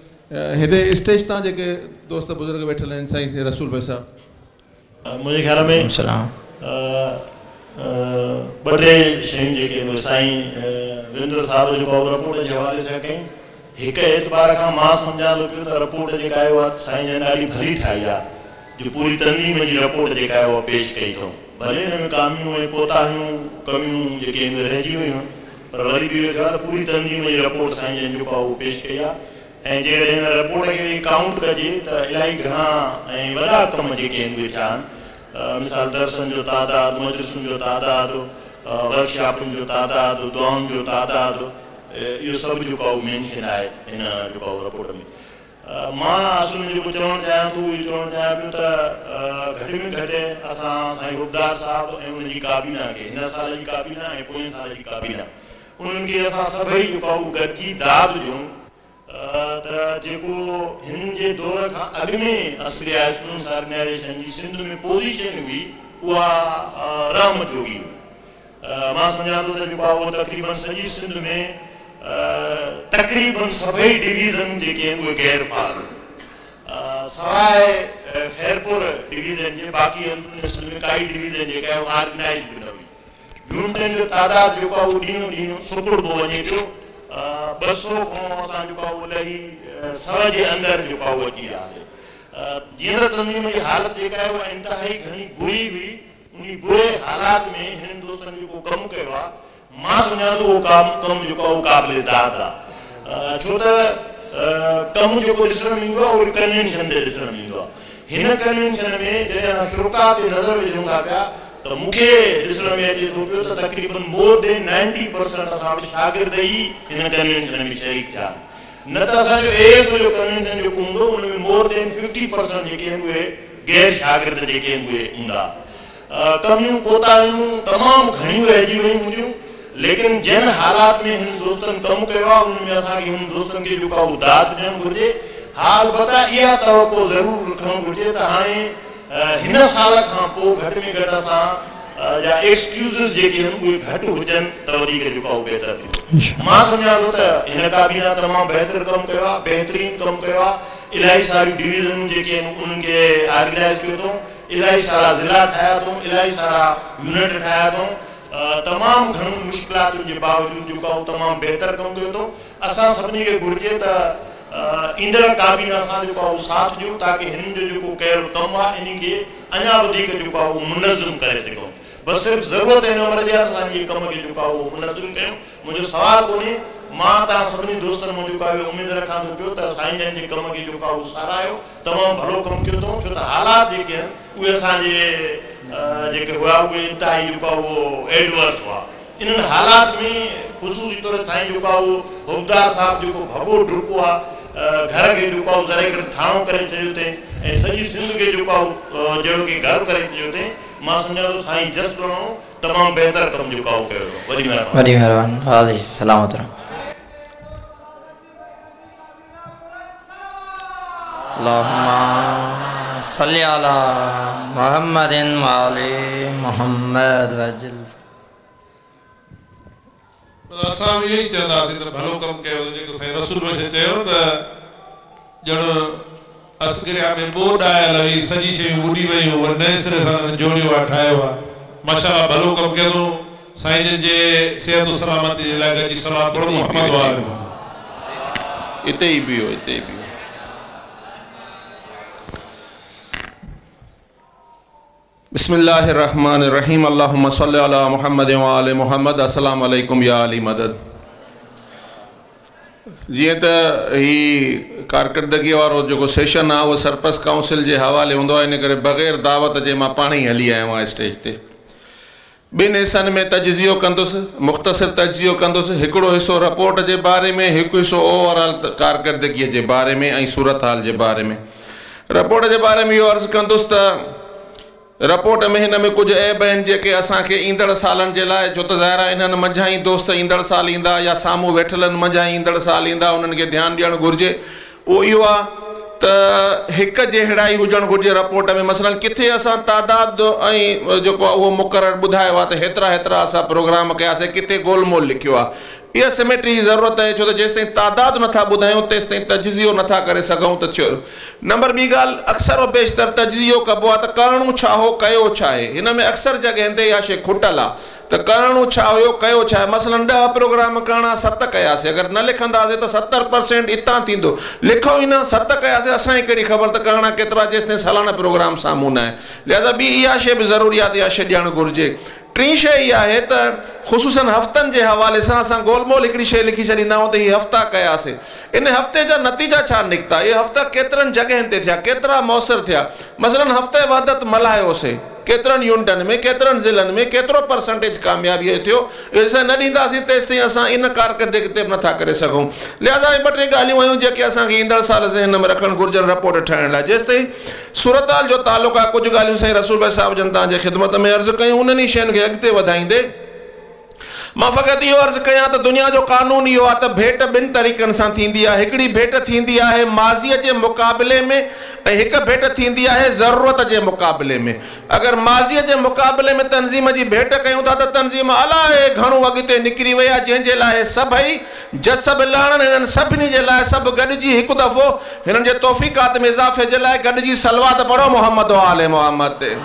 हेॾे स्टेज तां जेके दोस्त बुज़ुर्ग वेठल आहिनि साईं रसूल भाई साहिबु, मुंहिंजे ख़्याल में ॿ टे शयूं जेके साईं वीरेंद्र साहिब जेको रिपोर्ट जे हवाले सां कयूं, हिकु एतबार खां मां सम्झां थो पियो त रिपोर्ट जेका आहे उहा साईं जन ॾाढी भली ठाही आहे, जो पूरी तंज़ीम जी रिपोर्ट जेका आहे उहा पेश कई अथऊं। भले हिन में कामियूं ऐं कोताहियूं कमियूं जेके आहिनि रहिजी वयूं आहिनि, पर वरी बि इहो थियो आहे त पूरी तंज़ीम जी रिपोर्ट साईं जन जेको आहे उहो पेश कई आहे। ऐं जेकॾहिं हिन रिपोर्ट खे काउंट कजे त इलाही घणा ऐं वॾा कम जेके आहिनि उहे थिया आहिनि। मिसाल दर्सन जो तादादु, मजलिसुनि जो तादादु, वर्कशॉपुनि जो तादादु, दुआउनि जो तादादु, इहो सभु जेको आहे उहो मेंशन आहे हिन जेको आहे रिपोर्ट में। मां असुल में जेको चवणु चाहियां थो उहो चवणु चाहियां पियो त घटि में घटि असां साईं हुबदार साहिबु ऐं उनजी काबीना खे, हिन साल जी काबीना ऐं पोएं साल जी काबीना, उन्हनि खे असां सभई जेको आहे उहो गॾिजी दाद ॾियूं त जेको हिन जे दौर खां अॻु में असली स्टूडेंट्स ऑर्गेनाइज़ेशन जी सिंध में पोज़ीशन हुई उहा रहम जोगी हुई। मां सम्झां थो त जेको आहे उहो तक़रीबन सॼी सिंध में तक़रीबन सभई डिवीज़न जेके आहिनि उहे गैर फ़ाल, सवाइ ख़ैरपुर डिवीज़न जे बाक़ी सिंध में काई डिवीज़न जेका आहे उहा ऑर्गेनाइज़ बि न हुई। यूनिटनि जो तादाद जेको आहे उहो ॾींहुं ॾींहुं सुकुड़बो वञे पियो। 200 खां असां जेको आहे उहो लही 100 जे अंदरि जेको आहे उहो अची वियासीं। जीअं त तंज़ीम जी हालत जेका आहे उहा इंतिहाई घणी बुरी हुई। उन बुरे हालात में हिननि दोस्तनि जेको कमु कयो आहे, मां सम्झां थो उहो कमु जेको आहे उहो क़ाबिल दाद आहे। छो त कमु जेको ॾिसण में ईंदो आहे उहो कन्वेंशन ते ॾिसण में ईंदो आहे। हिन कन्वेंशन में जॾहिं असां शुरुका ते नज़र विझूं था पिया त मूंखे ॾिसण में अचे थो पियो त तक़रीबन मोर देन 90% असां वटि शागिर्द ई हिन कन्वेंशन में शरीक थिया। न त असांजो एएसओ जो कन्वेंशन जेको हूंदो उन में मोर देन 50% जेके आहिनि उहे गैर शागिर्द जेके आहिनि उहे हूंदा। कमियूं कोताहियूं तमामु घणियूं रहिजी वयूं हूंदियूं, लेकिन जिन हालात में हिन दोस्तनि कमु कयो आहे उन में असांखे हुन दोस्तनि खे जेको आहे उहो दाद ॾियणु घुरिजे। ها البته اها توقع ضرور رکڻ گهرجي ته هاڻي هن سال کان پوء گهٽ ۾ گهٽ اسان جا ايڪسڪيوزز جيڪي آهن اهي گهٽ هجن ته وڌيڪ جيڪو آهي اهو بهتر ٿيندو. مان سمجهان ٿو ته هن ڪابينا تمام بهتر ڪم ڪيو آهي، بهترين ڪم ڪيو آهي، الاهي ساريون ڊويزنون جيڪي آهن انهن کي آرگنائيز ڪيو اٿئون، الاهي سارا ضلعا ٺاهيا اٿئون، الاهي سارا يونٽ ٺاهيا اٿئون، تمام گهڻن مشڪلاتن جي باوجود جيڪو آهي اهو تمام بهتر ڪم ڪيو اٿئون. اسان سڀني کي گهرجي ته ايندڙ ڪابينا سان جيڪو آهي اهو ساٿ ڏيون تاڪه هنن جو جيڪو ڪيل ڪم آهي انهي کي اڃا وڌيڪ جيڪو آهي اهو منظم ڪري سگهون. بس صرف ضرورت هن امر جي آهي ته اسان انهي ڪم کي جيڪو آهي اهو منظم ڪيون. منهنجو سوال ڪونهي. مان توهان سڀني دوستن مان جيڪو آهي اهو اميد رکان ٿو پيو ته سائين جن جي ڪم کي جيڪو آهي اهو ساراهيو. تمام ڀلو ڪم ڪيو اٿئون ڇو ته حالات جيڪي آهن اهي اسان جي جيڪي هيا اهي انتهائي جيڪو آهي اهو ايڊورس هئا. انهن حالات ۾ خصوصي طور سائين جيڪو آهي اهو حبدار صاحب جيڪو ڀڳو ڊڪو آهي گهر کي جيڪو آهي ذري گهٽ ٿاڻو ڪري ڇڏيو اٿئي ۽ سڄي سنڌ کي جيڪو آهي جهڙو ڪي گهر ڪري ڇڏيو اٿئي مان سمجهان ٿو سائين جس لهڻو تمام بهتر ڪم جيڪو آهي اهو ڪيو اٿئون. وڏي مهرباني. وڏي مهرباني غازي سلامت رهو. اللهم صل علي محمد وآل محمد وعجل. اسان به اهو ئي چونداسين ته ڀلو ڪم ڪيو ته جيڪو سائين رسول بخش چيو ته ڄڻ اسگريا ۾ ٻوڏ آيل هئي سڄي شيون ٻڏي ويون وري نئين سري سان انهن جوڙيو آهي ٺاهيو آهي ماشاءالله ڀلو ڪم ڪيو اٿئون سائين جن جي صحت و سلامتي جي لاء گڏجي صلوات پڙهو محمد وآل محمد. اتي ئي بيهو اتي ئي بيهو. بسم الله الرحمن الرحيم اللهم صل علي محمد وآل محمد السلام عليڪم يا علي مدد جيئن ته هي ڪارڪردگي وارو جيڪو سيشن آهي اهو سرپرست ڪائونسل جي حوالي هوندو آهي ان ڪري بغير دعوت جي مان پاڻ ئي هلي آيو آهيان اسٽيج تي ٻن حصن ۾ تجزيو ڪندس مختصر تجزيو ڪندس هڪڙو حصو رپورٽ جي باري ۾ هڪ حصو اوور آل ڪارڪردگي جي باري ۾ ۽ صورتحال جي باري ۾ رپورٽ جي باري ۾ اهو عرض ڪندس ته رپورٽ ۾ هن ۾ ڪجهه عيب آهن جيڪي اسان کي ايندڙ سالن جي لاء ڇو ته ظاهر آهي انهن منجهان ئي دوست ايندڙ سال ايندا يا سامهون ويٺلن منجهان ئي ايندڙ سال ايندا انهن کي ڌيان ڏيڻ گهرجي اهو اهو آهي ته هڪ جهڙائي هجڻ گهرجي رپورٽ ۾ مثلاً ڪٿي اسان تعداد ۽ جيڪو آهي اهو مقرر ٻڌايو آهي ته هيترا هيترا اسان پروگرام ڪياسين ڪٿي گول مول لکيو آهي اها سميٽري جي ضرورت آهي ڇو ته جيستائين تعداد نٿا ٻڌايون تيستائين تجزيو نٿا ڪري سگهون ته ڇو نمبر ٻي ڳالهه اڪثر و بيشتر تجزيو ڪبو آهي ته ڪرڻو ڇا هو ڪيو ڇا آهي هن ۾ اڪثر جڳهين تي اها شيء کٽل آهي ته ڪرڻو ڇا هيو ڪيو ڇا آهي مثلاً ڏهه پروگرام ڪرڻا ست ڪياسي اگر نه لکنداسي ته 70% اتان ٿيندو لکون ئي نه ست ڪياسي اسان کي ڪهڙي خبر ته ڪرڻا ڪيترا جيستائين سالانه پروگرام سامهون نه آهي لهذا ٻي اها شيء به ضروري آهي ته اها شيء ڏيڻ گهرجي ٽين شيء اها آهي ته خصوصاً هفتن جي حوالي سان اسان گول مول هڪڙي شيء لکي ڇڏيندا آهيون ته هي هفتا ڪياسي. ان هفتي جا نتيجا ڇا نڪتا؟ اهي هفتا ڪيترن جڳهين تي ٿيا؟ ڪيترا موثر ٿيا؟ مثلاً هفته وحدت ملهايوسي. ڪيترن يونٽن ۾، ڪيترن ضلعن ۾ ڪيترو پرسنٽيج ڪاميابيء جو ٿيو؟ اهو جيستائين نه ڏينداسين تيستائين اسان ان ڪارڪردگي تي به نٿا ڪري سگهون. لهذا اهي ٻه ٽي ڳالهيون هيون جيڪي اسان کي ايندڙ سال ذهن ۾ رکڻ گهرجن رپورٽ ٺاهڻ لاء. جيستائين صورتحال جو تعلق آهي ڪجهه ڳالهيون سائين رسول بخش صاحب جن توهان جي خدمت ۾ عرض ڪيون انهن ئي شين کي اڳتي وڌائيندي مان فقط اهو عرض ڪيان ته دنيا جو قانون اهو آهي ته ڀيٽ ٻن طريقن سان ٿيندي آهي هڪڙي ڀيٽ ٿيندي آهي ماضيء جي مقابلي ۾ ۽ هڪ ڀيٽ ٿيندي آهي ضرورت جي مقابلي ۾ اگر ماضيء جي مقابلي ۾ تنظيم جي ڀيٽ ڪيون ٿا ته تنظيم الائي گهڻو اڳتي نڪري وئي آهي جنهن جي لاء سڀئي جس به لهڻن هنن سڀني جي لاء سڀ گڏجي هڪ دفعو هنن جي توفيقات ۾ اضافي جي لاء گڏجي صلوات پڙهو محمد و آل محمد تي.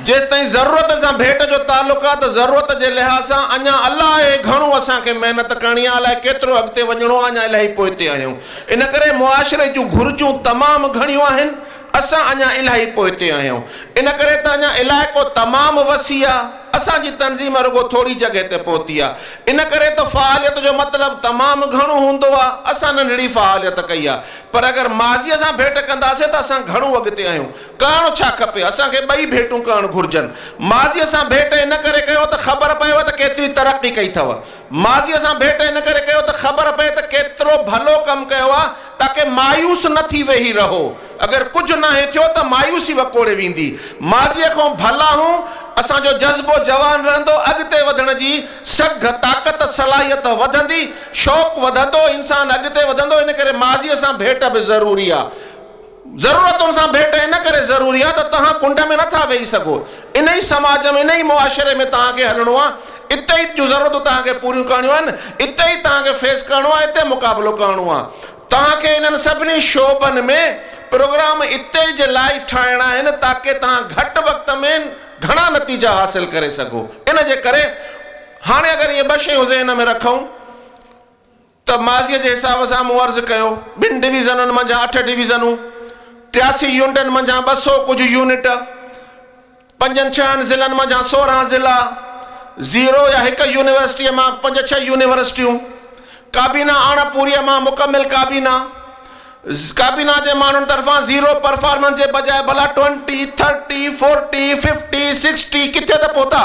جيستائين ضرورت سان ڀيٽ جو تعلق آ ته ضرورت جي لحاظ سان اڃا الائي گهڻو اسان کي محنت ڪرڻي آ الائي ڪيترو اڳتي وڃڻو آ اڃا الاهي پوئتي آهيون ان ڪري معاشري جون گهرجون تمام گهڻيون آهن اسان اڃا الاهي پوئتي آهيون ان ڪري ته اڃا علائقو تمام وسيع آ، اسان جي تنظيم رڳو ٿوري جڳهه تي پهتي آ، ان ڪري ته فعاليت جو مطلب تمام گهڻو هوندو آ، اسان ننڍڙي فعاليت ڪئي آ، پر اگر ماضيء سان ڀيٽ ڪنداسين ته اسان گهڻو اڳتي آهيون. ڪرڻ ڇا کپي؟ اسان کي ٻئي ڀيٽون ڪرڻ گهرجن. ماضيء سان ڀيٽ ان ڪري ڪيو ته خبر پئيو ته ڪيتري ترقي ڪئي اٿو. ماضيء سان ڀيٽ ان ڪري ڪيو ته خبر پئي ته ڪيترو ڀلو ڪم ڪيو آ، تاڪه مايوس نه ٿي ويهي رهو. اگر ڪجهه ناهي ٿيو ته مايوسي وڪوڙي ويندي. ماضيء کان ڀلا هون، اسان جو جذبو جوان رهندو، اڳتي وڌڻ جي سگهه، طاقت صلاحيت وڌندي، شوق وڌندو، انسان اڳتي وڌندو، ان ڪري ماضيء سان ڀيٽ به ضروري آ. ضرورتن سان ڀيٽ ان ڪري ضروري آ ته توهان ڪنڊ ۾ نٿا ويهي سگهو. ان ئي سماج ۾، ان ئي معاشري ۾ توهان کي هلڻو آ، اتي ئي جون ضرورتون توهان کي پوريون ڪرڻيون آهن، اتي ئي توهان کي فيس ڪرڻو آ، اتي مقابلو ڪرڻو آ. توهان کي انهن سڀني شعبن ۾ پروگرام اتي جي لاء ئي ٺاهڻا آهن تاڪه توهان گهٽ وقت ۾ گهڻا نتيجا حاصل ڪري سگهو. ان جي ڪري هاڻي اگر اهي ٻه شيون ذهن ۾ رکون ته ماضيء جي حساب سان مون عرض ڪيو ٻن ڊويزنن منجهان اٺ ڊويزنون، 83 يونٽن منجهان 200 ڪجهه يونٽ، پنجن ڇهن ضلعن منجهان 16 ضلعا، زيرو يا هڪ يونيورسٽيء مان پنج ڇهه يونيورسٽيون، ڪابينا اڻ پوريء مان مڪمل ڪابينا، ڪابينا جي ماڻهن طرفان زيرو پرفارمنس جي بجاء ڀلا twenty, thirty, forty, fifty, sixty ڪٿي ته پهتا؟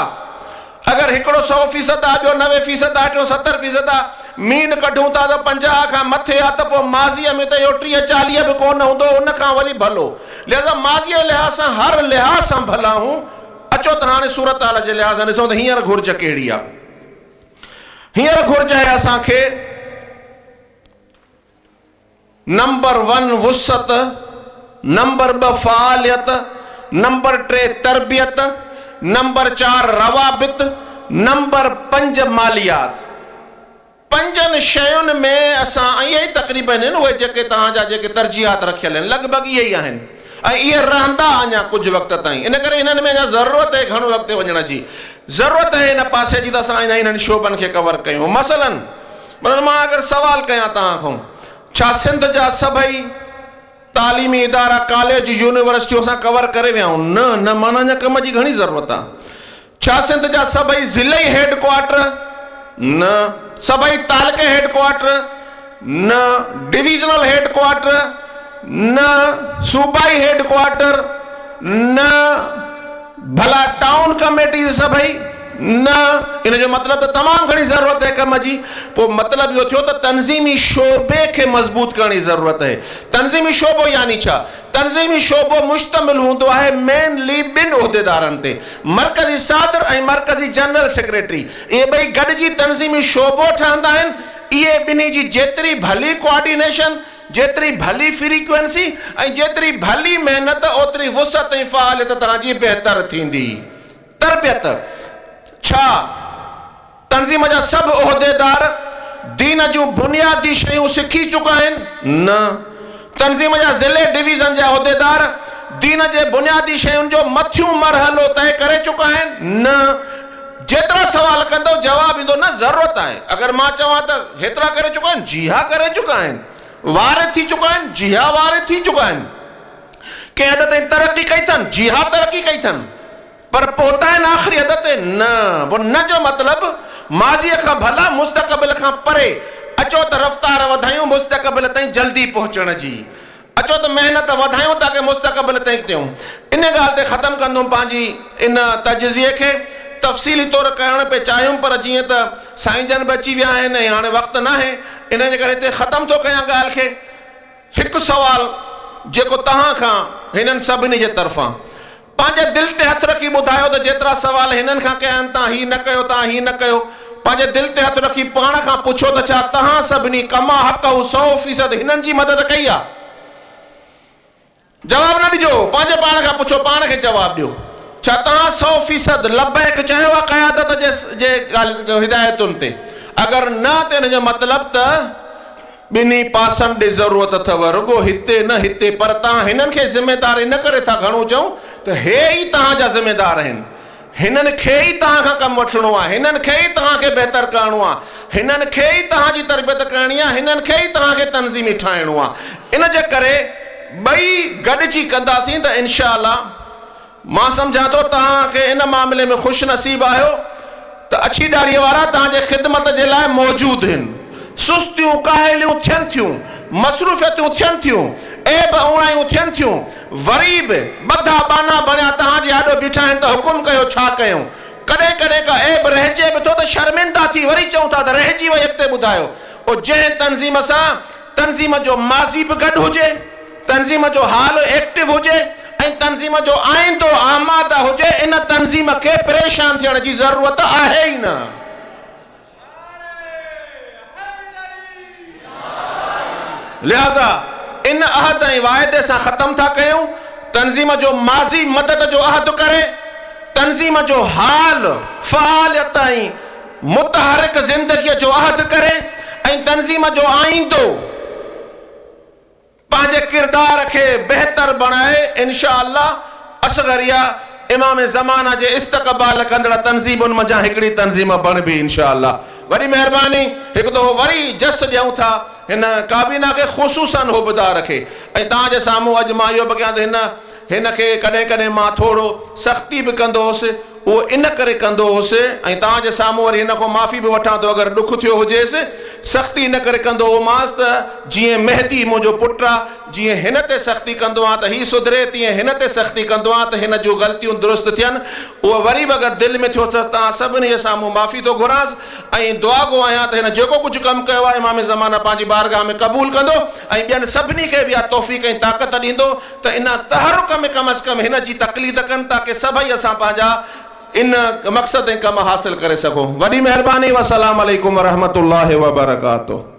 اگر هڪڙو 100% آ، ٻيو 90% آ، ٽيون 70% آ، مين ڪڍون ٿا ته 50 کان مٿي آ ته پوء ماضيء ۾ ته اهو 30 40 به ڪونه هوندو ان کان وري ڀلو. لهذا ماضيء جي لحاظ سان هر لحاظ سان ڀلا هون. اچو ته هاڻي صورتحال جي لحاظ سان ڏسون ته هينئر گهرج ڪهڙي آ. هينئر گهرج آهي اسان کي نمبر ون وسعت، نمبر ٻه فعاليت، نمبر ٽي تربيت، نمبر چار روابط، نمبر پنج ماليات. پنجن شين ۾ اسان ۽ اهي ئي تقريبن آهن اهي جيڪي توهان جا جيڪي ترجيحات رکيل آهن لڳ ڀڳ اهي ئي آهن ۽ اهي رهندا اڃا ڪجهه وقت تائين ان ڪري انهن ۾ اڃا ضرورت آهي گهڻو اڳتي وڃڻ جي ضرورت آهي ان پاسي جي ته اسان انهن شعبن کي ڪور ڪيون مثلاً مثلاً مان اگر سوال ڪيان توهان کان ڇا سنڌ جا سڀئي تعليمي ادارا ڪاليج يونيورسٽيون اسان ڪور ڪري ويا آهيون؟ نه نه معنيٰ اڃا ڪم جي گهڻي ضرورت آهي. ڇا سنڌ جا سڀئي ضلعي هيڊ ڪوارٽر؟ نه. سڀئي تعلقي هيڊ ڪوارٽر؟ نه. Divisional head quarter? نه. صوبائي هيڊ ڪوارٽر؟ نه. ڀلا ٽائون ڪميٽيز سڀئي؟ نه. ان جو مطلب ته تمام گهڻي ضرورت آهي ڪم جي. پوء مطلب اهو ٿيو ته تنظيمي شعبي کي مضبوط ڪرڻ جي ضرورت آهي. تنظيمي شعبو يعني ڇا؟ تنظيمي شعبو مشتمل هوندو آهي مين لي ٻن عهديدارن تي، مرڪزي صدر ۽ مرڪزي جنرل سيڪريٽري. اهي ٻئي گڏجي تنظيمي شعبو ٺهندا آهن. اهي ٻنهي جي جيتري ڀلي ڪوآرڊينيشن، جيتري ڀلي فريڪوئنسي ۽ جيتري ڀلي محنت اوتري وسعت ۽ فعاليت توهان جي بهتر ٿيندي. تربيت، ڇا تنظيم جا سڀ عهديدار دين جون بنيادي شيون سکي چڪا آهن؟ نه. تنظيم جا ضلعي ڊويزن جا عهديدار دين جي بنيادي شين جو مٿيون مرحلو طئي ڪري چڪا آهن؟ نه. جيترا سوال ڪندؤ جواب ايندو نه ضرورت آهي. اگر مان چوان ته هيترا ڪري چڪا آهن؟ جي ها ڪري چڪا آهن. وارد ٿي چڪا آهن؟ جي ها وارد ٿي چڪا آهن. ڪنهن حد تائين ترقي ڪئي اٿن؟ جي ها ترقي ڪئي اٿن. پر پهتا آهن آخري حد تي؟ نه. پوء نه جو مطلب ماضيء کان ڀلا مستقبل کان پري. اچو ته رفتار وڌايون مستقبل تائين جلدي پهچڻ جي. اچو ته محنت وڌايون تاڪه مستقبل تائين ٿيون. ان ڳالهه تي ختم ڪندم پنهنجي ان تجزيي کي. تفصيلي طور ڪرڻ پئي چاهيم پر جيئن ته سائين جن به اچي ويا آهن ۽ هاڻي وقت ناهي ان جي ڪري هتي ختم ٿو ڪيان ڳالهه کي. هڪ سوال جيڪو توهان کان هنن سڀني جي طرفان. پنهنجي دل تي هٿ رکي ٻڌايو ته جيترا سوال هنن کان ڪيا آهن توهان هي نه ڪيو توهان هي نه ڪيو. پنهنجي دل تي هٿ رکي پاڻ کان پڇو ته ڇا توهان سڀني ڪما حقه 100% هنن جي مدد ڪئي آهي؟ جواب نه ڏجو، پنهنجي پاڻ کان پڇو، پاڻ کي جواب ڏيو. ڇا توهان 100% لبيڪ چيو آهي قيادت جي هدايتن تي؟ اگر نه ته ان جو مطلب ته ٻنهي پاسن ڏي ضرورت اٿو، رڳو هتي نه هتي، پر توهان هنن کي ذميدار ان ڪري ٿا گهڻو چئون ته هي ئي توهان جا ذميدار آهن، هنن کي ئي توهان کان ڪم وٺڻو آهي، هنن کي ئي توهان کي بهتر ڪرڻو آهي، هنن کي ئي توهان جي تربيت ڪرڻي آهي، هنن کي ئي توهان کي تنظيمي ٺاهڻو آهي. ان جي ڪري ٻئي گڏجي ڪنداسين ته انشاء الله مان سمجهان ٿو توهان کي ان معاملي ۾ خوش نصيب آهيو ته اڇي ڏاڙهيء وارا توهان جي خدمت جي لاء موجود هن. سستيون ڪاهليون ٿين ٿيون، مصروفيتون ٿين ٿيون، عيب اوڻايون ٿين ٿيون، وري به ٻڌا ٻانها بڻيا توهان جي آڏو بيٺا آهن ته حڪم ڪيو ڇا ڪيون؟ ڪڏهن ڪڏهن ڪا عيب رهجي به ٿو ته شرمنده ٿي وري چئون ٿا ته رهجي وئي اڳتي ٻڌايو. او جنهن تنظيم سان تنظيم جو ماضي به گڏ هجي، تنظيم جو حال ايڪٽو هجي ۽ تنظيم جو آئيندو آماده هجي ان تنظيم کي پريشان ٿيڻ جي ضرورت آهي ئي نه. لهٰذا ان عهد ۽ واعدي سان ختم ٿا ڪيون، تنظيم جو ماضي مدد جو عهد ڪري، تنظيم جو حال فعاليت ۽ متحرڪ زندگيء جو عهد ڪري ۽ تنظيم جو آئيندو پنهنجي ڪردار کي بهتر بڻائي انشاء الله اصغريه امام زمانه جي استقبال ڪندڙ تنظيمن منجهان هڪڙي تنظيم بڻبي انشاء الله وڏي مهرباني هڪ دفعو وري جس ڏيون ٿا هن ڪابينا کي خصوصا حبدار کي ۽ توهان جي سامهون اڄ مان اهو به ڪيان ته هن هن کي ڪڏهن ڪڏهن مان ٿورو سختي به ڪندو هوس اهو ان ڪري ڪندو هوس ۽ توهان جي سامهون وري هن کان معافي به وٺان ٿو اگر ڏک ٿيو هجيس، سختي ان ڪري ڪندو هومانس ته جيئن مهدي منهنجو پٽ آ، جيئن هن تي سختي ڪندو آهيان ته هي سڌري، تيئن هن تي سختي ڪندو آهيان ته هن جون غلطيون درست ٿين. اهو وري به اگر دل ۾ ٿيو ته توهان سڀني جي سامهون معافي ٿو گهرانس ۽ دعاگو آهيان ته هن جيڪو ڪجهه ڪم ڪيو آهي امام زمانه پنهنجي بارگاهه ۾ قبول ڪندو ۽ ٻين سڀني کي به اها توفيق ۽ طاقت ڏيندو ته ان تحرڪ ۾ ڪم از ڪم هن جي تقليد ڪن تاڪه سڀئي اسان پنهنجا ان مقصد ۽ ڪم حاصل ڪري سگهون. وڏي مهرباني والسلام عليڪم ورحمة الله وبرڪاته.